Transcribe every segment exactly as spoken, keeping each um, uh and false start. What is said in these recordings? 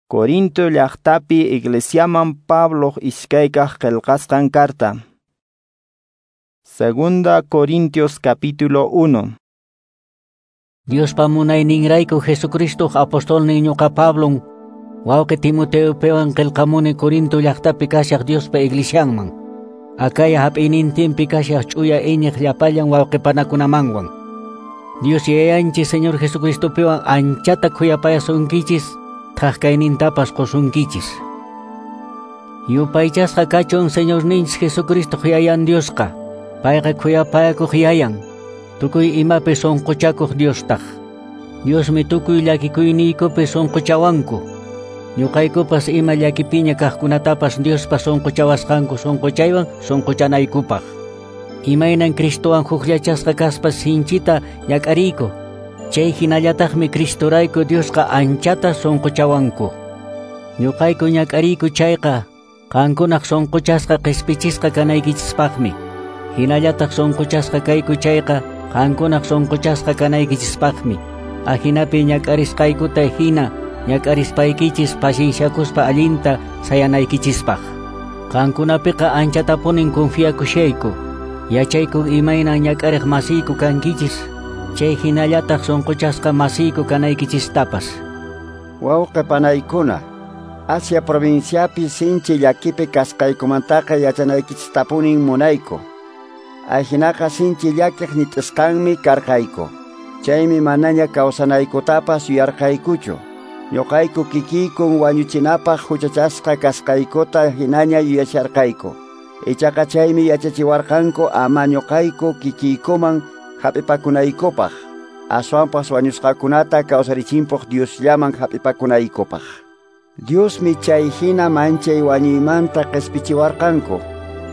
Corinto llaqtapi iglesiaman Pablo iskaykaq qillqasqan carta. Segunda Corintios capítulo uno. Diospa munayninrayku Jesucristo apostolnin ñuqa Pablon wawqi Timoteopiwan qillqamuni Corinto llaqtapi kashaq Diospa iglesianman. Acaya hap'iynintinpi kashaq ch'uya iñiq llapallan wawqipanakunamanwan. Dios Yayanchis Señor Jesucristopiwan anchata khuyapayasunkichis, thaqkaynintapas qusunkichis. Yupaychasqa kachun Señorninchis Jesucristo Yayan Diosqa, payqa khuyapayakuq Yayan, tukuy imapi sunquchakuq Diostaq. Diosmi tukuy llakikuyniykupi sunquchawanku. Ñuqaykupas ima llakipiña kaqkunatapas Diospa sunquchawasqanku sunquchaywan sunquchanaykupaq. Imaynan Cristowan hukllachasqa kaspa sinchita ñak'ariyku, chay hinallataqmi Cristorayku Diosqa anchata sunquchawanku. Ñuqayku ñak'ariyku chayqa qankunaq sunquchasqa qispichisqa kanaykichispaqmi. Hinallataq sunquchasqa kayku chayqa qankunaq sunquchasqa kanaykichispaqmi. Ajinapi ñak'arisqaykuta hina ñak'arispaykichis pacienciakuspa allinta sayanaykichispaq. Qankunapiqa anchatapunin confiakushayku. Yachayku imaynan ñak'ariq masiyku kankichis, chay hinallataq sunquchasqa masiyku kanaykichistapas. Wawqi panaykuna, Asia provinciapi sinchi llakipi kasqaykumantaqa yachanaykichistapunin munayku. Ajinaqa sinchi llakiq nit'isqanmi karqayku. Chaymi manaña kawsanaykutapas yuyarqaykuchu. Ñuqayku kikiykun wañuchinapaq huchachasqa kasqaykuta hinaña yuyasharqayku. Ichaqa chaymi yachachiwarqanku ama ñuqayku kikiykuman hap'ipakunaykupaq, aswanpas wañusqakunata kawsarichimpuq Diosllaman hap'ipakunaykupaq. Diosmi chay hina manchay wañuymanta qispichiwarqanku,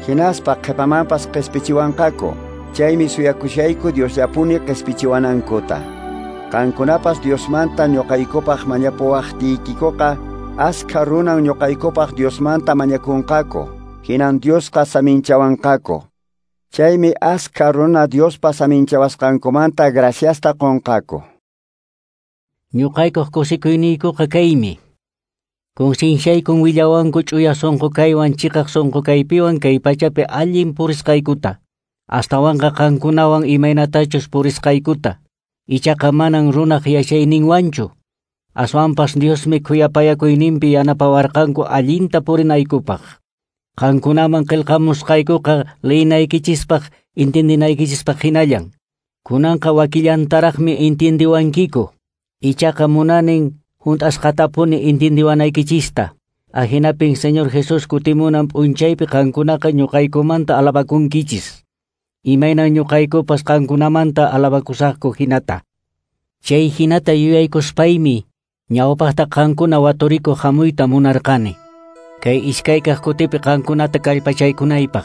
hinaspa qhipamanpas qispichiwanqaku. Chaymi suyakushayku Diosllapuni qispichiwanankuta. Qankunapas Diosmanta ñuqaykupaq mañapuwaqtiykikuqa, askha runan ñuqaykupaq Diosmanta mañakunqaku, hinan Diosqa saminchawanqaku. Chaymi askha runa Diospa saminchawasqankumanta graciasta qunqaku. Ñuqaykuq kusikuyniykuqa kaymi. Concienciaykun willawanku ch'uya sunqu kaywan chiqaq sunqu kaypiwan kay pachapi allin purisqaykuta, astawanqa qankunawan imaynatachus purisqaykuta. Ichaqa manan runaq yachayninwanchu. Aswanpas Diosmi khuyapayakuyninpi yanapawarqanku allinta purinaykupaq. Qankunaman qillqamusqaykuqa liyinaykichispaq intindinaykichispaq hinallan. Kunanqa wakillantaraqmi intindiwankiku. Ichaqa munanin hunt'asqatapuni intindiwanaykichista. Ahinapin Señor Jesús kutimunan p'unchaypi qankunaqa ñuqaykumanta alabakunkichis. Imaynan ñuqaykupas qankunamanta alabakusaqku hinata. Chay hinata yuyaykuspaymi ñawpaqta qankuna waturikuq hamuyta munarqani. Kay iskaykaq kutipi qankunata kallpachaykunaypaq.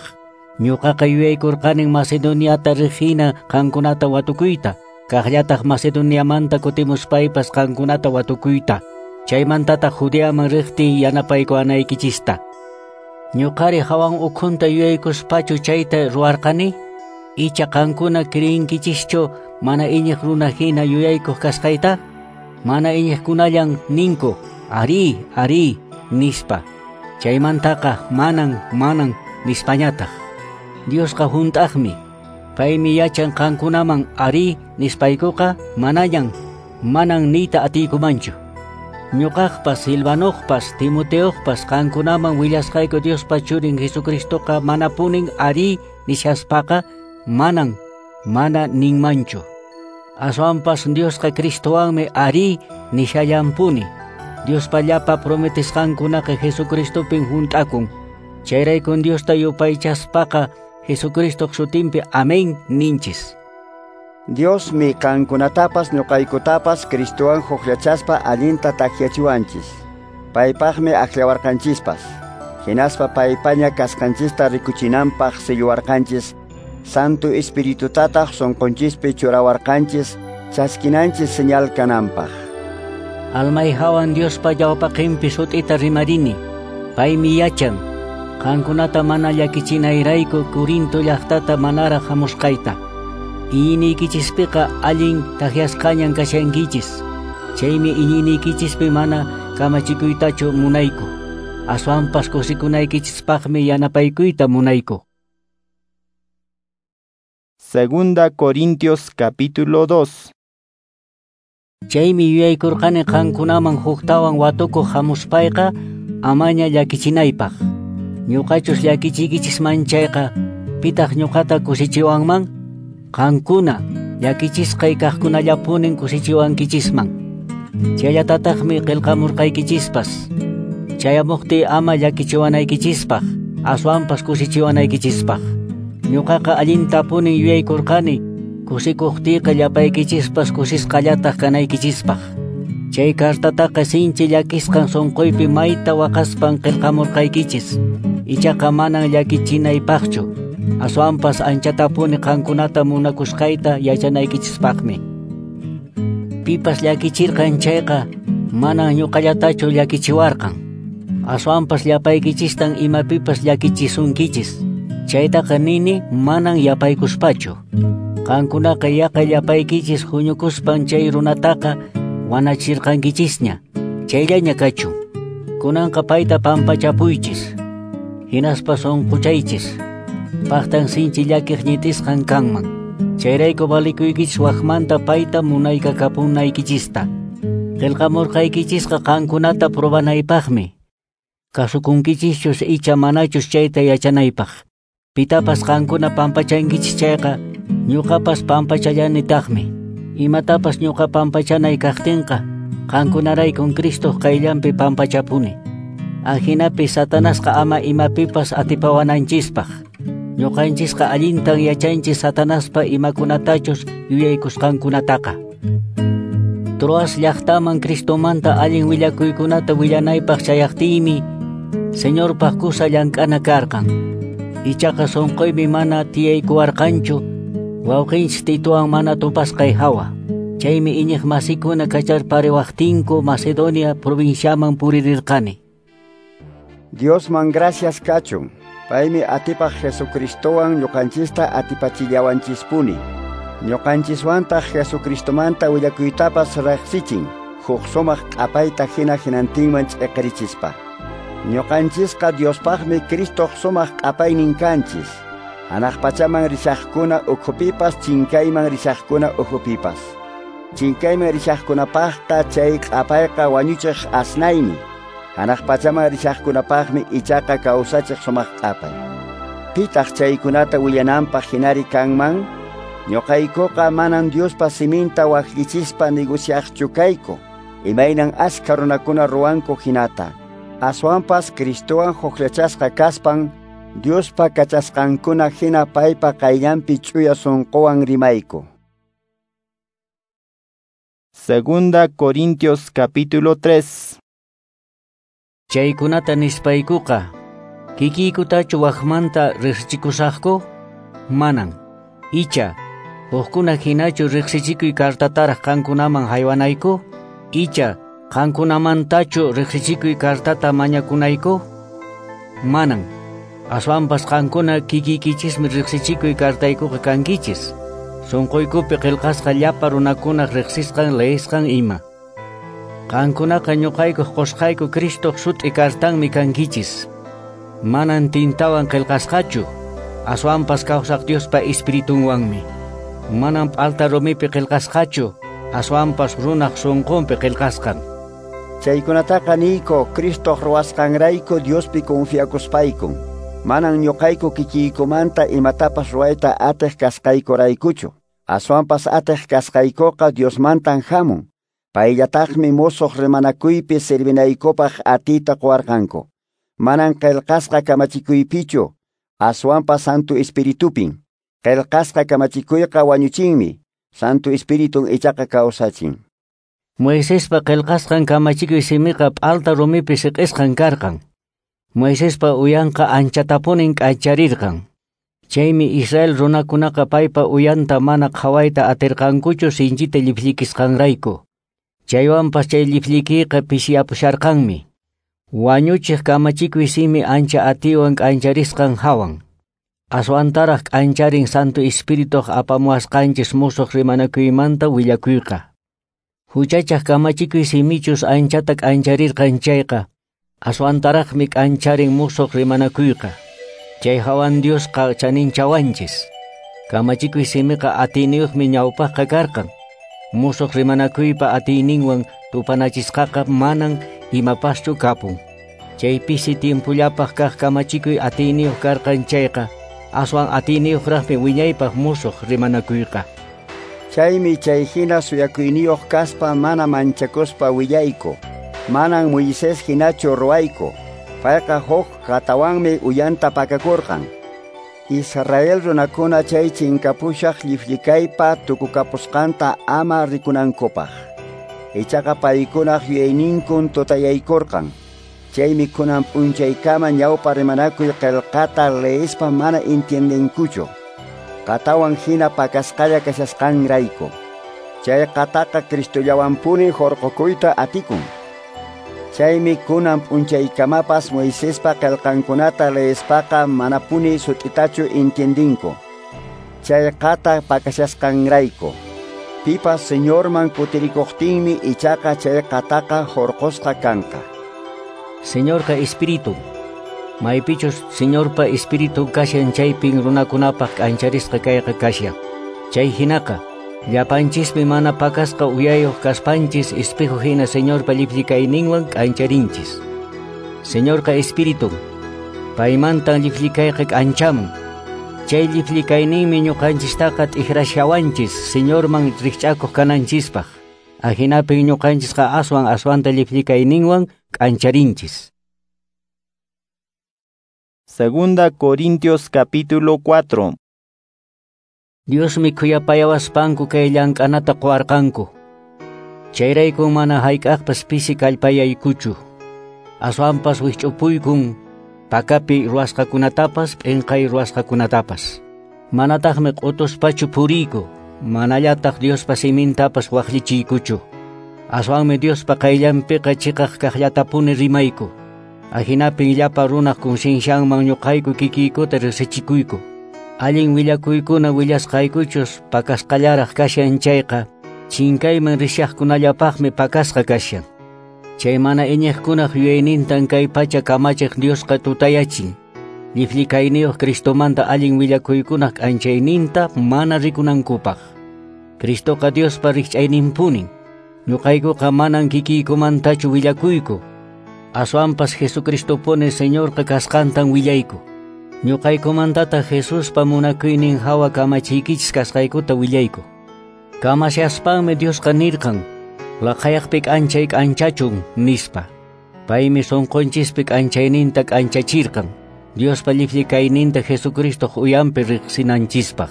Ñuqaqa yuyaykurqanin Macedoniata riq hina qankunata watukuyta, kaqllataq Macedoniamanta kutimuspaypas qankunata watukuyta. Chaymantataq Judeaman riqtiy yanapaykuwanaykichista. Ñuqari hawan ukhunta yuyaykuspachu chayta ruwarqani? Icha qankuna criyinkichishchu mana iñiq runa hina yuyaykuq kasqayta? Mana iñiqkunallan ninku, ari, ari, nispa. Chaymantaqa manan, manan nispañataq. Diosqa hunt'aqmi. Paymi yachan qankunaman ari nispaykuqa manañan, manan niyta atiykumanchu. Ñuqaqpas, Silvanoqpas, Timoteoqpas qankunaman willasqayku Diospa churin Jesucristoqa manapunin ari nishaspaqa manan, mana ninmanchu. Aswanpas Diosqa Cristowanmi ari nishallampuni. Diospa llapa prometisqankunaqa Jesucristopin hunt'akun. Chayraykun Diosta yupaychaspaqa Jesucristoq sutinpi amén ninchis. Diosmi qankunatapas ñuqaykutapas Cristowan hukllachaspa allinta takyachiwanchis. Paypaqmi akllawarqanchispas. Hinaspa paypaña kasqanchista rikuchinanpaq silluwarqanchis. Santo Espiritutataq sunqunchispi churawarqanchis chaskinanchis señal kananpaq. Almay hawan Diospa ñawpaqinpi sut'ita rimarini. Paymi yachan qankunata mana llakichinayrayku Corinto llaqtata manaraq hamusqayta. Iñiyniykichispiqa allin takyasqañan kashankichis. Chaymi iñiyniykichispi mana kamachikuytachu munayku. Aswanpas kusikunaykichispaqmi yanapaykuyta munayku. Segunda Corintios capítulo dos. Chaymi yuyaykurqani qankunaman huktawan watukuq hamuspayqa amaña llakichinaypaq. Ñuqachus llakichiykichisman chayqa pitaq ñuqata kusichiwanman? Qankuna llakichisqay kaqkunallapunin kusichiwankichisman. Chayllatataqmi qillqamurqaykichispas. Chayamuqtiy ama llakichiwanaykichispaq, aswanpas kusichiwanaykichispaq. Ñuqaqa allintapunin yuyaykurqani kusikuqtiyqa llapaykichispas kusisqallataq kanaykichispaq. Chay kartataqa sinchi llakisqan sunquypi mayta waqaspan qillqamurqaykichis. Ichaqa manan llakichinaypaqchu, aswanpas anchatapuni qankunata munakusqayta yachanaykichispaqmi. Pipas llakichirqan chayqa manan ñuqallatachu llakichiwarqan. Aswanpas llapaykichistan imapipas llakichisunkichis. Chaytaqa nini manan yapaykuspachu. Qankunaqa yaqa llapaykichis huñukuspan chay runataqa wanachirqankichisña. Chayllaña kachun. Kunanqa payta pampachapuychis. Hinaspa sunquchaychis. Paqtan sinchi llakiq ñitisqan kanman. Chayrayku valikuykichis waqmanta payta munaykakapunaykichista. Qillqamurqaykichisqa qankunata probanaypaqmi. Kasukunkichischus icha manachus chayta yachanaypaq. Pitapas qankuna pampachankichis chayqa ñuqapas pampachallanitaqmi. Imatapas ñuqa pampachanay kaqtinqa qankunaraykun Cristoq qayllanpi pampachapuni. Ajinapi Satanasqa ama imapipas atipawananchispaq. Ñuqanchisqa allintan yachanchis Satanaspa imakunatachus yuyaykusqankunataqa. Troas llaqtaman Cristomanta allin willakuykunata willanaypaq chayaqtiymi Señorpaq kusa llank'ana karqan. Ichaqa sunquymi mana tiyaykuwarqanchu wawqinchis Titowan mana tupasqay hawa. Chaymi iñiq masikuna kacharpariwaqtinku Macedonia provinciaman puririrqani. Diosman gracias kachun. Paymi atipaq Jesucristowan ñuqanchista atipachillawanchispuni. Ñuqanchiswantaq Jesucristomanta willakuytapas riqsichin, huk sumaq q'apayta hina hinantinman ch'iqirichispa. Ñuqanchisqa Diospaqmi Cristoq sumaq q'apaynin kanchis. Hanaq pachaman rishaqkuna ukhupipas, chinkayman rishaqkuna ukhupipas. Chinkayman rishaqkunapaqqa chay q'apayqa wañuchiq asnaymi. Hanaq pachaman rishaqkunapaqmi ichaqa kawsachiq sumaq q'apay. Pitaq chaykunata willananpaq hinari kanman? Ñuqaykuqa manan Diospa siminta waqllichispa negociaqchu kayku, imaynan askha runakuna ruwanku hinata. Aswanpas Cristowan hukllachasqa kaspan Diospa kachasqankuna hina paypa qayllanpi ch'uya sunquwan rimayku. Segunda Corintios capítulo tres. Chaykunata nispaykuqa, kikiykutachu waqmanta riqsichikusaqku? Manan. Icha, hukkuna hinachu riqsichikuy kartataraq qankunaman haywanayku? Icha, qankunamantachu riqsichikuy kartata mañakunayku? Manan. Aswanpas qankuna kikiykichismi riqsichikuy kartaykuqa kankichis. Sunquykupi qillqasqa llapa runakunaq riqsisqan leesqan ima. Qankunaqa ñuqaykuq qusqayku Cristoq sut'i kartanmi kankichis. Manan tintawan qillqasqachu, aswanpas kawsaq Diospa Espiritunwanmi. Manan p'alta rumipi qillqasqachu, aswanpas runaq sunqunpi qillqasqan. Chaykunataqa niyku Cristoq ruwasqanrayku Diospi confiakuspaykun. Manan ñuqayku kikiykumanta imatapas ruwayta atiq kasqaykuraykuchu. Aswanpas atiq kasqaykuqa Diosmantan hamun. Payllataqmi musuq rimanakuypi servinaykupaq atiyta quwarqanku. Manan qillqasqa kamachikuypichu, aswanpas Santo Espiritupin. Qillqasqa kamachikuyqa wañuchinmi, Santo Espiritun ichaqa kawsachin. Moisespa qillqasqan kamachikuy simiqa p'alta rumipi siq'isqan karqan. Moisespa uyanqa anchatapunin k'ancharirqan. Chaymi Israel runakunaqa paypa uyanta mana qhawayta atirqankuchu sinchita lliphllikisqanrayku. Chaywanpas chay lliphllikiyqa pishiyapusharqanmi. Wañuchiq kamachikuy simi ancha atiywan k'ancharisqan hawan. Aswantaraq k'ancharin Santo Espirituq apamuwasqanchis musuq rimanakuymanta willakuyqa. Huchachaq kamachikuy simichus anchata k'ancharirqan chayqa, aswantaraqmi k'ancharin musuq rimanakuyqa. Chay hawan Diosqa chaninchawanchis. Kamachikuy simiqa atiyniyuqmi ñawpaqqa karqan. Musuq rimanakuypa atiyninwan tupanachisqaqa manan imapaschu kapun. Chay pisi tiempullapaq kaq kamachikuy atiyniyuq karqan chayqa, aswan atiyniyuqraqmi wiñaypaq musuq rimanakuyqa. Chaymi chay hina suyakuyniyuq kaspa mana manchakuspa willayku. Manan Moisés hinachu ruwayku. Payqa huk qatawanmi uyanta pakakurqan. Israel runakuna chay chinkapushaq llifllikaypa tukukapusqanta ama rikunankupaq. Ichaqa paykunaq yuyayninkun tutayaykurqan. Chaymi kunan p'unchaykama ñawpa rimanakuy qillqata leespa mana entiendenkuchu. Qatawan hina pakasqalla kashasqanrayku. Chay qataqa Cristollawanpuni hurqukuyta atikun. Chaymi kunan p'unchaykamapas Moisespa qillqankunata leespaqa manapuni sut'itachu entiendinku. Chay qata pakashasqanrayku. Pipas Señorman kutirikuqtinmi ichaqa chay qataqa hurqusqa kanqa. Señorqa espíritu. Maypichus Señorpa espíritu kashan chaypin runakunapaq k'ancharisqa kayqa kashan. Chay hinaqa, llapanchismi mana pakasqa uyayuq kaspanchis espejo hina Señorpa llifllikayninwan k'ancharinchis. Señorqa espíritu. Paymantan llifllikayqa k'anchamun. Chay llifllikayninmi ñuqanchistaqa t'ikrashawanchis Señorman rikch'akuq kananchispaq. Ahinapin ñuqanchisqa aswan aswanta llifllikayninwan k'ancharinchis. Segunda Corintios capítulo cuatro. Diosmi khuyapayawaspanku kay llank'anata quwarqanku. Chayraykun mana hayk'aqpas pisi kallpayaykuchu. Aswanpas wikch'upuykun pakapi ruwasqakunatapas p'inqay ruwasqakunatapas. Manataqmi q'utuspachu puriyku, manallataq Diospa simintapas waqllichiykuchu. Aswanmi Diospa qayllanpiqa chiqaq kaqllatapuni rimayku. Ahinapin llapa runaq conciencianman ñuqayku kikiykuta riqsichikuyku. Allin willakuykuna willasqaykuchus pakasqallaraq kashan chayqa, chinkayman rishaqkunallapaqmi pakasqa kashan. Chay mana iñiqkunaq yuyaynintan kay pacha kamachiq Diosqa tutayachin. Lliflikayniyuq Cristomanta allin willakuykunaq k'anchayninta mana rikunankupaq. Cristoqa Diospa rikch'ayninpunin. Ñuqaykuqa manan kikiykumantachu willakuyku. Aswanpas Jesucristopuni Señorqa kasqantan willayku. Ñuqaykumantataq Jesuspa munakuynin hawa kamachiykichis kasqaykuta willayku. Kamashaspanmi Diosqa nirqan, laqhayaqpi k'anchay k'anchachun nispa. Paymi sunqunchispi k'anchayninta k'anchachirqan, Diospa llifllikayninta Jesucristoq uyanpi riqsinanchispaq.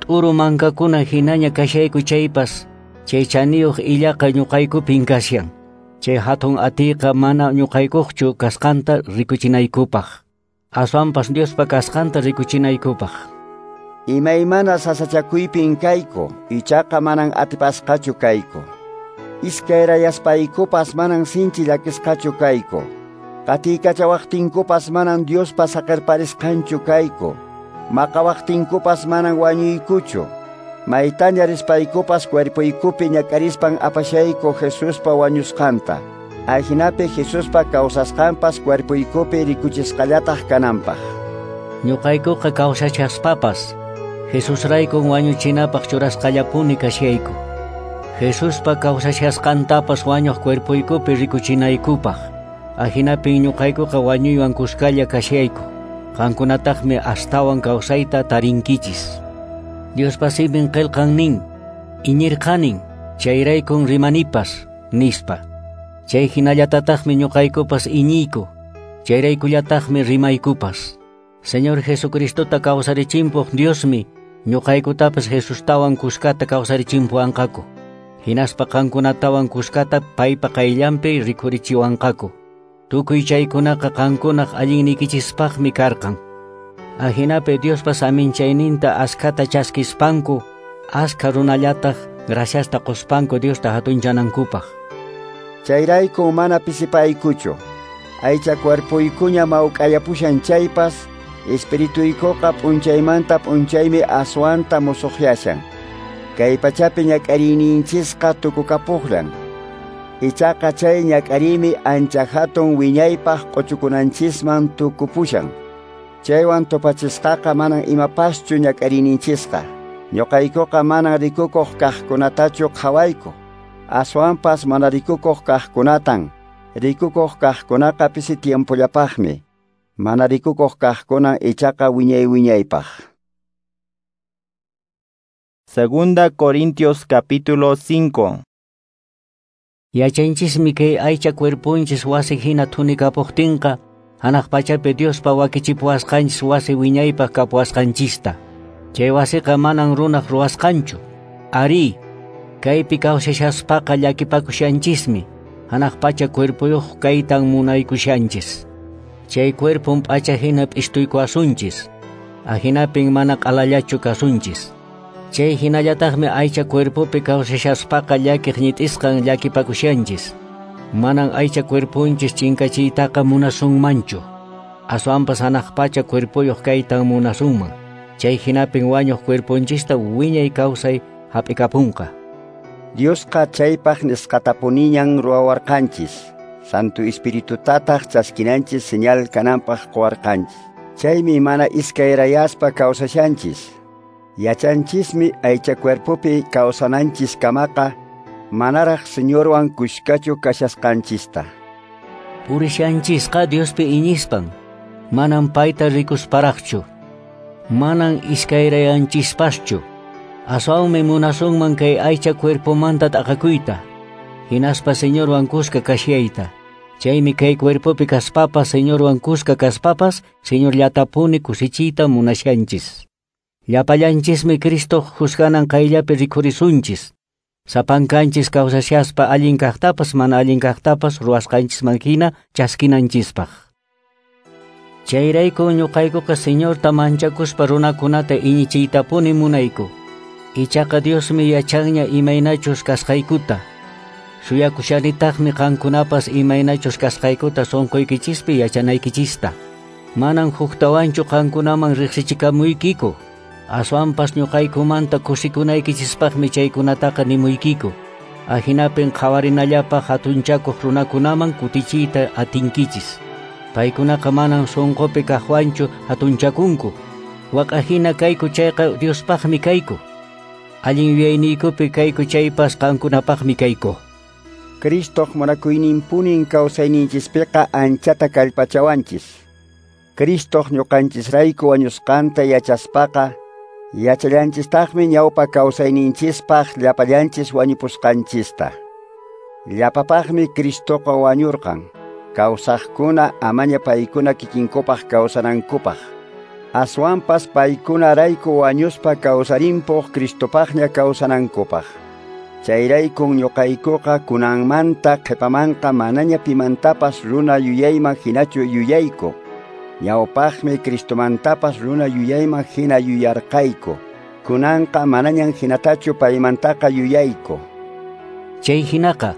T'uru mankakuna hinaña kashayku chaypas, chay chaniyuq illaqa ñuqaykupin kashan. Chay hatun atiyqa mana ñuqaykuqchu kasqanta rikuchinaykupaq. Aswanpas Diospa kasqanta rikuchinaykupaq. Imaymana sasachakuypin kayku, ichaqa manan atipasqachu kayku. Iskayrayaspaykupas manan sinchi llakisqachu kayku. Qatiykachawaqtinkupas manan Diospa saqerparisqanchu kayku. Maqawaqtinkupas manan wañuykuchu. Maytaña rispaykupas cuerpoykupi ñak'arispan apashayku Jesuspa wañusqanta. Ajinapi Jesuspa kawsasqanpas cuerpoykupi rikuchisqallataq kananpaq. Ñuqaykuqa kawsachaspapas Jesusraykun wañuchinapaq churasqallapuni kashayku. Jesuspa kawsachasqantapas wañuq cuerpoykupi rikuchinaykupaq. Ajinapin ñuqaykuqa wañuywan kuskalla kashayku. Qankunataqmi astawan kawsayta tarinkichis. Diospa simin qillqan nin, iñirqanin, chayraykun rimanipas, nispa. Chay hinallatataqmi ñuqaykupas iñiyku, chayraykullataqmi rimaykupas. Señor Jesucristota kawsarichimpuq Diosmi, ñuqaykutapas Jesustawan kuskata kawsarichimpuwanqaku. Hinaspa qankunatawan kuskata paypa qayllanpi rikhurichiwanqaku. Tukuy chaykunaqa qankunaq allinnikichispaqmi karqan. Ajinapi Diospa saminchayninta askhata chaskispanku, askha runallataq graciasta quspanku Diosta hatunchanankupaq. Chayrayku mana pisipaykuchu. Aycha cuerpoykuña mawk'ayapushan chaypas, espirituykuqa p'unchaymanta p'unchaymi aswanta musuqyashan. Kay pachapi ñak'ariyninchisqa tukukapuqlan. Ichaqa chay ñak'ariymi ancha hatun wiñaypaq q'uchukunanchisman tukupushan. Chaywan tupachisqaqa manan imapaschu ñak'ariyninchisqa. Ñuqaykuqa manan rikukuq kaqkunatachu qhawayku. Aswanpas mana rikukuq kaqkunatan. Rikukuq kaqkunaqa pisi tiempollapaqmi. Mana rikukuq kaqkunan ichaqa wiñay wiñaypaq. Segunda Corintios capítulo cinco. Yachanchismi kay aycha cuerpunchis wasi hina thunikapuqtinqa, hanaq pachapi Diospa wakichipuwasqanchis wasi wiñaypaq kapuwasqanchista. Chay wasiqa manan runaq ruwasqanchu. Ari, kaypi kawsashaspaqa llakipakushanchismi, hanaq pacha cuerpuyuq kaytan munaykushanchis. Chay cuerpun p'acha hina p'istuykuwasunchis, ahinapin mana q'alallachu kasunchis. Chay hinallataqmi aycha cuerpopi kawsashaspaqa llakiq ñit'isqan llakipakushanchis. Manan aycha cuerpunchis chinkachiytaqa munasunmanchu. Aswanpas hanaq pacha cuerpoyuq kaytan munasunman. Chay hinapin wañuq cuerpunchista wiñay kawsay hap'ikapunqa. Diosqa chaypaq nisqatapuniñan ruwawarqanchis. Santo Espiritutataq chaskinanchis señal kananpaq quwarqanchis. Chaymi mana iskayrayaspa kawsashanchis. Yachanchismi aycha cuerpopi kawsananchis kamaqa manaraq Señorwan kushkachu kashasqanchista. Purishanchisqa Diospi iñispan, manan payta rikusparaqchu, manan iskayrayanchispaschu. Aswanmi munasunman kay aycha cuerpomanta t'aqakuyta, hinaspa Señorwan kuska kashayta. Chaymi kay cuerpopi kaspapas Señorwan kuska kaspapas Señorllatapuni kusichiyta munashanchis. Llapallanchismi Cristo juzganan qayllapi rikhurisunchis. Sapankanchis kawsashaspa allin kaqtapas mana allin kaqtapas ruwasqanchisman hina chaskinanchispaq. Chayrayku ñuqaykuqa Señorta manchakuspa runakunata iñichiytapuni munayku. Ichaqa Diosmi yachanña imaynachus kasqaykuta. Suyakushanitaqmi qankunapas imaynachus kasqaykuta sunquykichispi yachanaykichista. Manan huktawanchu qankunaman riqsichikamuykiku. Aswanpas ñuqaykumanta kusikunaykichispaqmi chaykunataqa nimuykiku. Ahinapin qhawarinallapaq hatunchakuq runakunaman kutichiyta atinkichis. Paykunaqa manan sunqupi kaqwanchu hatunchakunku. Waq'ahina kayku chayqa Diospaqmi kayku. Allin yuyayniykupi kayku chaypas qankunapaqmi kayku. Cristoq munakuyninpunin kawsayninchispiqa anchata kallpachawanchis. Cristoq ñuqanchisrayku wañusqanta yachaspaqa, yachallanchistaqmi ñawpa kawsayninchispaq llapallanchis wañupusqanchista. Llapapaqmi Cristoqa wañurqan, kawsaqkuna amaña paykuna kikinkupaq kawsanankupaq. Aswanpas paykunarayku wañuspa kawsarinpuq Cristopaqña kawsanankupaq. Chayraykun ñuqaykuqa kunanmanta qhipamanqa manaña pimantapas runa yuyayman hinachu yuyayku. Ñawpaqmi Cristomantapas runa yuyayman hina yuyarqayku. Kunanqa manañan hinatachu paymantaqa yuyayku. Chay hinaqa,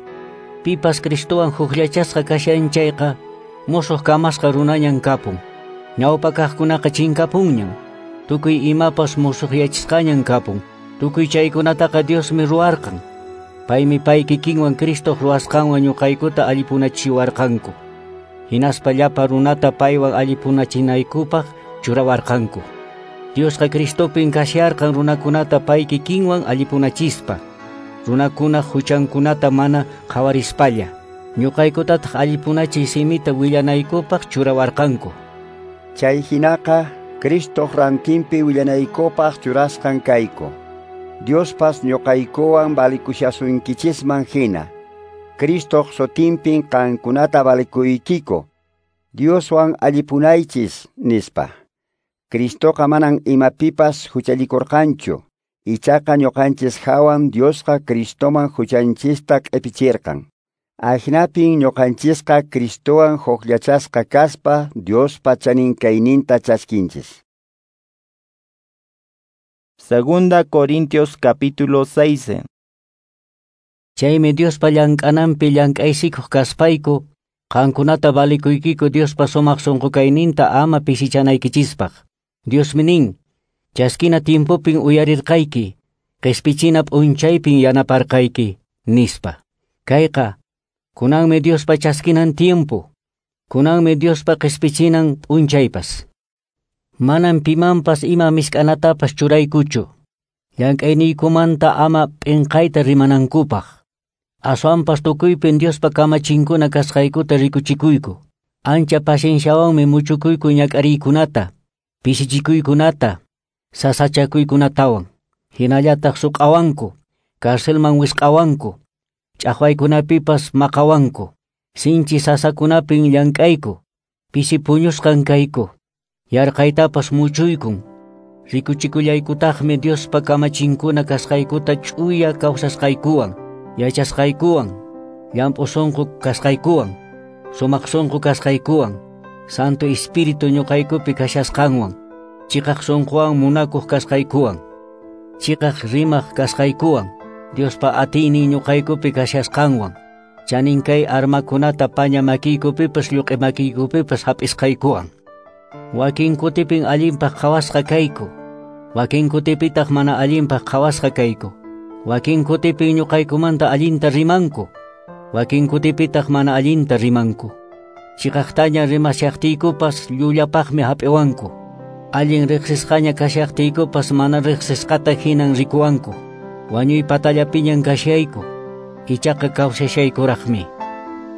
pipas Cristowan hukllachasqa kashan chayqa, musuq kamasqa runañan kapun. Ñawpa kaqkunaqa chinkapunñan. Tukuy imapas musuqyachisqañan kapun. Tukuy chaykunataqa Diosmi ruwarqan. Paymi pay kikinwan Cristoq ruwasqanwan ñuqaykuta allipunachiwarqanku. Hinaspa llapa runata paywan allipunachinaykupaq churawarqanku. Diosqa Cristopin kasharqan runakunata pay kikinwan allipunachispa. Runakunaq huchankunata mana qhawarispalla. Ñuqaykutataq allipunachiy simita willanaykupaq churawarqanku. Chay hinaqa Cristoq rantinpi willanaykupaq churasqan kayku. Diospas ñuqaykuwan valikushasunkichisman hina. Cristoq sutinpin qankunata valikuykiku. Dioswan allipunaychis nispa. Cristoqa manan imapipas huchallikurqanchu. Ichaqa ñuqanchis hawan Diosqa Cristoman huchanchista q'ipichirqan. Ahinapin ñuqanchisqa Cristowan hukllachasqa kaspa Diospa chanin kayninta chaskinchis. Segunda Corintios capítulo seis. Chaymi Diospa llank'ananpi llank'aysikuq kaspayku, qankunata valikuykiku Diospa sumaq sunqu kayninta ama pisichanaykichispak. Diosmi nin, chaskina tiempopin uyarirqayki, Qespichina p'unchaypin yanaparqayki, nispa. Kayqa, kunanmi Diospa chaskinan tiempo, kunanmi Diospa qespichinan p'unchaypas. Manan pimanpas ima misk'anatapas churaykuchu, llank'ayniykumanta ama p'inqayta rimanankupaq. Aswanpas tukuypin Diospa kamachinkuna kasqaykuta rikuchikuyku. Ancha pacienciawanmi muchukuyku ñak'ariykunata, pisichikuykunata, sasachakuykunatawan. Hinallataq suq'awanku, carcelman wisq'awanku, ch'aqwaykunapipas maqawanku, sinchi sasakunapin llank'ayku, pisi puñusqan kayku, yarqaytapas muchuykun. Rikuchikullaykutaqmi Diospa kamachinkuna kasqaykuta ch'uya kawsasqaykuwan, yachasqaykuwan, llamp'u sunqu kasqaykuwan, sumaq sunqu kasqaykuwan, Santo Espíritu ñuqaykupi kashasqanwan, chiqaq sunquwan munakuq kasqaykuwan, chiqaq rimaq kasqaykuwan, Diospa atiynin ñuqaykupi kashasqanwan, chanin kay armakunata paña makiykupipas lluq'i makiykupipas hap'isqaykuwan. Wakin kutipin allinpaq qhawasqa kayku, wakin kutipitaq mana allinpaq qhawasqa kayku, wakin kutipin ñuqaykumanta allinta rimanku, wakin kutipitaq mana allinta rimanku. Chiqaqtaña rimashaqtiykupas llullapaqmi hap'iwanku, allin riqsisqaña kashaqtiykupas mana riqsisqata hinan rikuwanku. Wañuy patallapiñan kashayku, ichaqa kawsashaykuraqmi.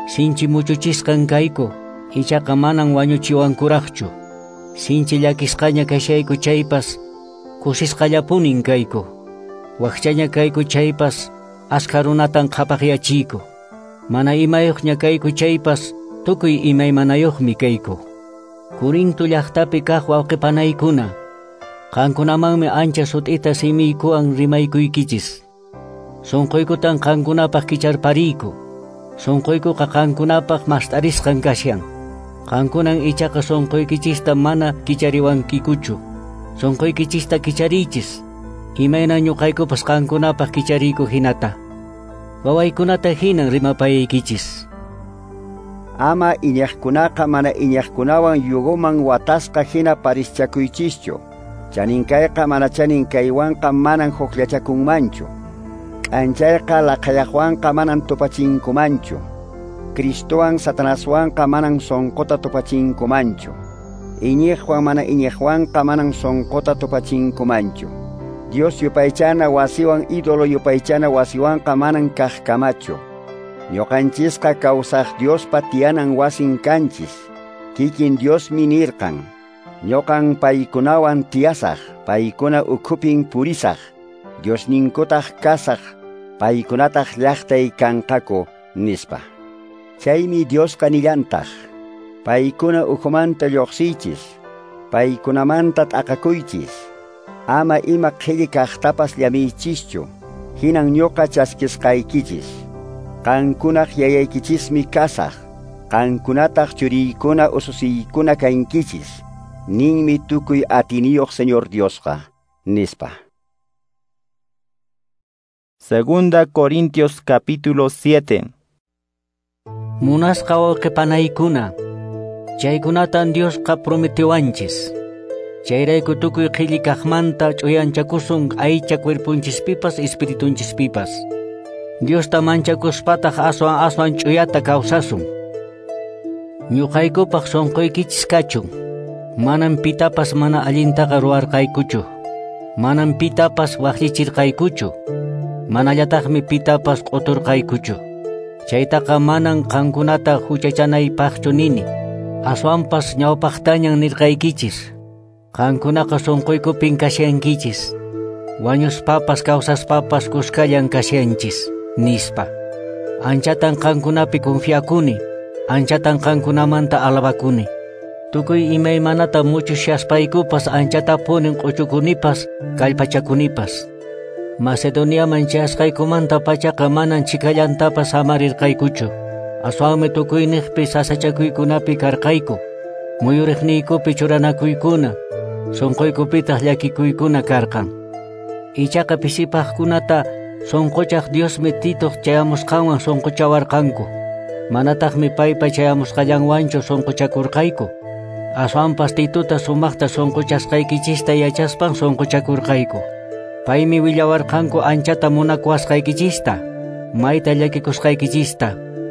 Sinchi muchuchisqan kayku, ichaqa manan wañuchiwankuraqchu. Sinchi llakisqaña kashayku chaypas, kusisqallapunin kayku. Wakchaña kayku chaypas, askha runatan qhapaqyachiyku. Mana imayuqña kayku chaypas, tukuy imaymanayuqmi kayku. Corinto llaqtapi kaq wawqipanaykuna, qankunamanmi ancha sut'ita simiykuwan rimaykuykichis. Sunquykutan qankunapaq kicharpariyku. Sunquykuqa qankunapaq mast'arisqan kashan. Qankunan ichaqa sunquykichista mana kichariwankikuchu. Sunquykichista kichariychis, imayna ñuqaykupas qankunapaq kichariyku hinata. Wawaykunata hinan rimapayaykichis. Ama iñaqkunaqa mana iñaqkunawan yugoman watasqa hina parischakuychischu. Chaninkayqa mana chaninkaywanqa manan hukllachakunmanchu. K'anchayqa laqhayaqwanqa manan tupachinkumanchu. Cristowan Satanaswanqa manan sunquta tupachinkumanchu. Iñiqwan mana iñiqwanqa manan sunquta tupachinkumanchu. Dios yupaychana wasiwan ídolo yupaychana wasiwanqa manan kaqkamachu. Ñuqanchisqa kawsaq Diospa tiyanan wasin kanchis. Kikin Diosmi nirqan. Ñuqan paykunawan tiyasaq, paykuna ukhupin purisaq, Diosninkutaq kasaq, paykunataq llaqtay kanqaku, nispa. Chaymi Diosqa nillantaq, paykuna ukhumanta lluqsiychis, paykunamanta t'aqakuychis, ama ima qhilli kaqtapas llamiychischu, hinan ñuqa chaskisqaykichis. Qankunaq yayaykichismi kasaq, qankunataq churiykuna ususiykuna kankichis, ninmi tukuy atiniyuq Señor Diosqa, nispa. Segunda Corintios capítulo siete. Munasqa wawqipanaykuna, chaykunatan Diosqa prometiwanchis. Chayrayku tukuy qhilli kaqmanta ch'uyanchakusun aycha cuerpunchispipas espiritunchispipas. Diosta manchakuspataq aswan aswan ch'uyata kawsasun. Ñuqaykupaq sunquykichis kachun. Manan pitapas mana allintaqa ruwarqaykuchu. Manan pitapas waqllichirqaykuchu. Manallataqmi pitapas q'uturqaykuchu. Chaytaqa manan qankunata huchachanaypaqchu nini. Aswanpas ñawpaqtañan nirqaykichis. Qankunaqa sunquykupin kashankichis. Wañuspapas kawsaspapas kuskallan kashanchis, nispa. Anchatan qankunapi confiakuni, anchatan qankunamanta alabakuni. Tukuy imaymanata muchushaspaykupas anchatapunin q'uchukunipas, kallpachakunipas. Macedoniaman chayasqaykumanta pachaqa manan chikallantapas samarirqaykuchu. Aswanmi tukuyniqpi sasachakuykunapi karqayku, muyuriqniykupi churanakuykuna, sunquykupitaq llakikuykuna karqan. Ichaqa pisipaqkunata sunquchaq Diosmi Titoq chayamusqanwan sunquchawarqanku. Manataqmi paypa chayamusqallanwanchu sunquchakurqayku. Aswanpas Titota sumaqta sunquchasqaykichista yachaspan sunquchakurqayku. Paymi willawarqanku anchata munakuwasqaykichista, mayta llakikusqaykichista,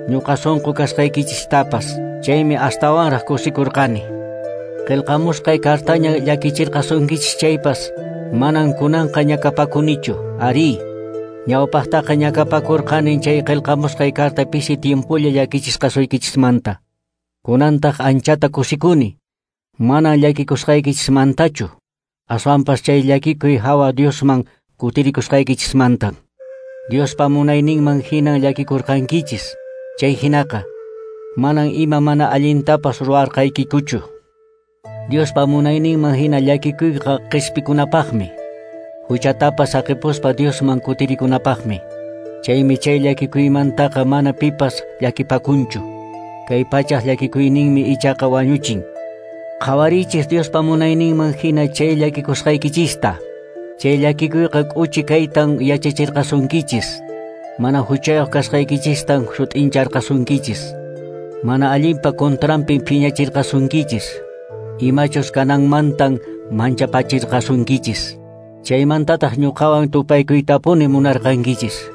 ñuqa sunqu kasqaykichistapas. Chaymi astawanraq kusikurqani. Qillqamusqay kartaña llakichirqasunkichis chaypas, manan kunanqa ñakapakunichu. Arí, ñawpaqtaqa ñakapakurqani chay qillqamusqay karta pisi tiempolla llakichisqasuykichismanta. Kunantaq anchata kusikuni, manan llakikusqaykichismantachu, aswanpas chay llakikuy hawa Diosman kutirikusqaykichismantan. Diospa munayninman hinan llakikurqankichis, chay hinaqa manan ima mana allintapas ruwarqaykikuchu. Diospa munayninman hina llakikuyqa qispikunapaqmi, huchatapas saqipuspa Diosman kutirikunapaqmi. Chaymi chay llakikuymantaqa mana pipas llakipakunchu. Kay pachaq llakikuyninmi ichaqa wañuchin. Qhawarichis Diospa munayninman hina chay llakikusqaykichista. Chay llakikuyqa k'uchi kaytan yachachirqasunkichis. Mana huchayuq kasqaykichistan sut'incharqasunkichis. Mana allinpa contranpin phiñachirqasunkichis. Imachus kananmantan manchapachirqasunkichis. Chaymantataq ñuqawan tupaykuytapuni munarqankichis.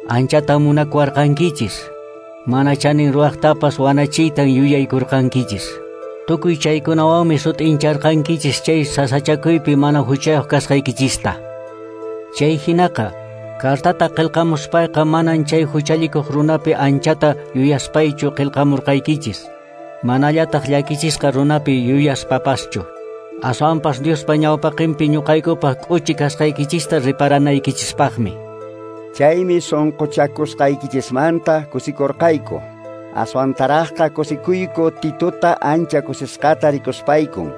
Anchatan munakuwarqankichis. Mana chanin ruwaqtapas wanachiytan yuyaykurqankichis. Tukuy chaykunawanmi sut'incharqankichis chay sasachakuypi mana huchayuq kasqaykichista. Chay hinaqa, kartata qillqamuspayqa manan chay huchallikuq runapi anchata yuyaspaychu qillqamurqaykichis. Manallataq llakichisqa runapi yuyaspapaschu. Aswanpas Diospa ñawpaqinpi ñuqaykupaq k'uchi kasqaykichista riparanaykichispaqmi. Chaymi sunquchakusqaykichismanta kusikurqayku. Aswantaraqqa kusikuyku Titota ancha kusisqata rikuspaykun.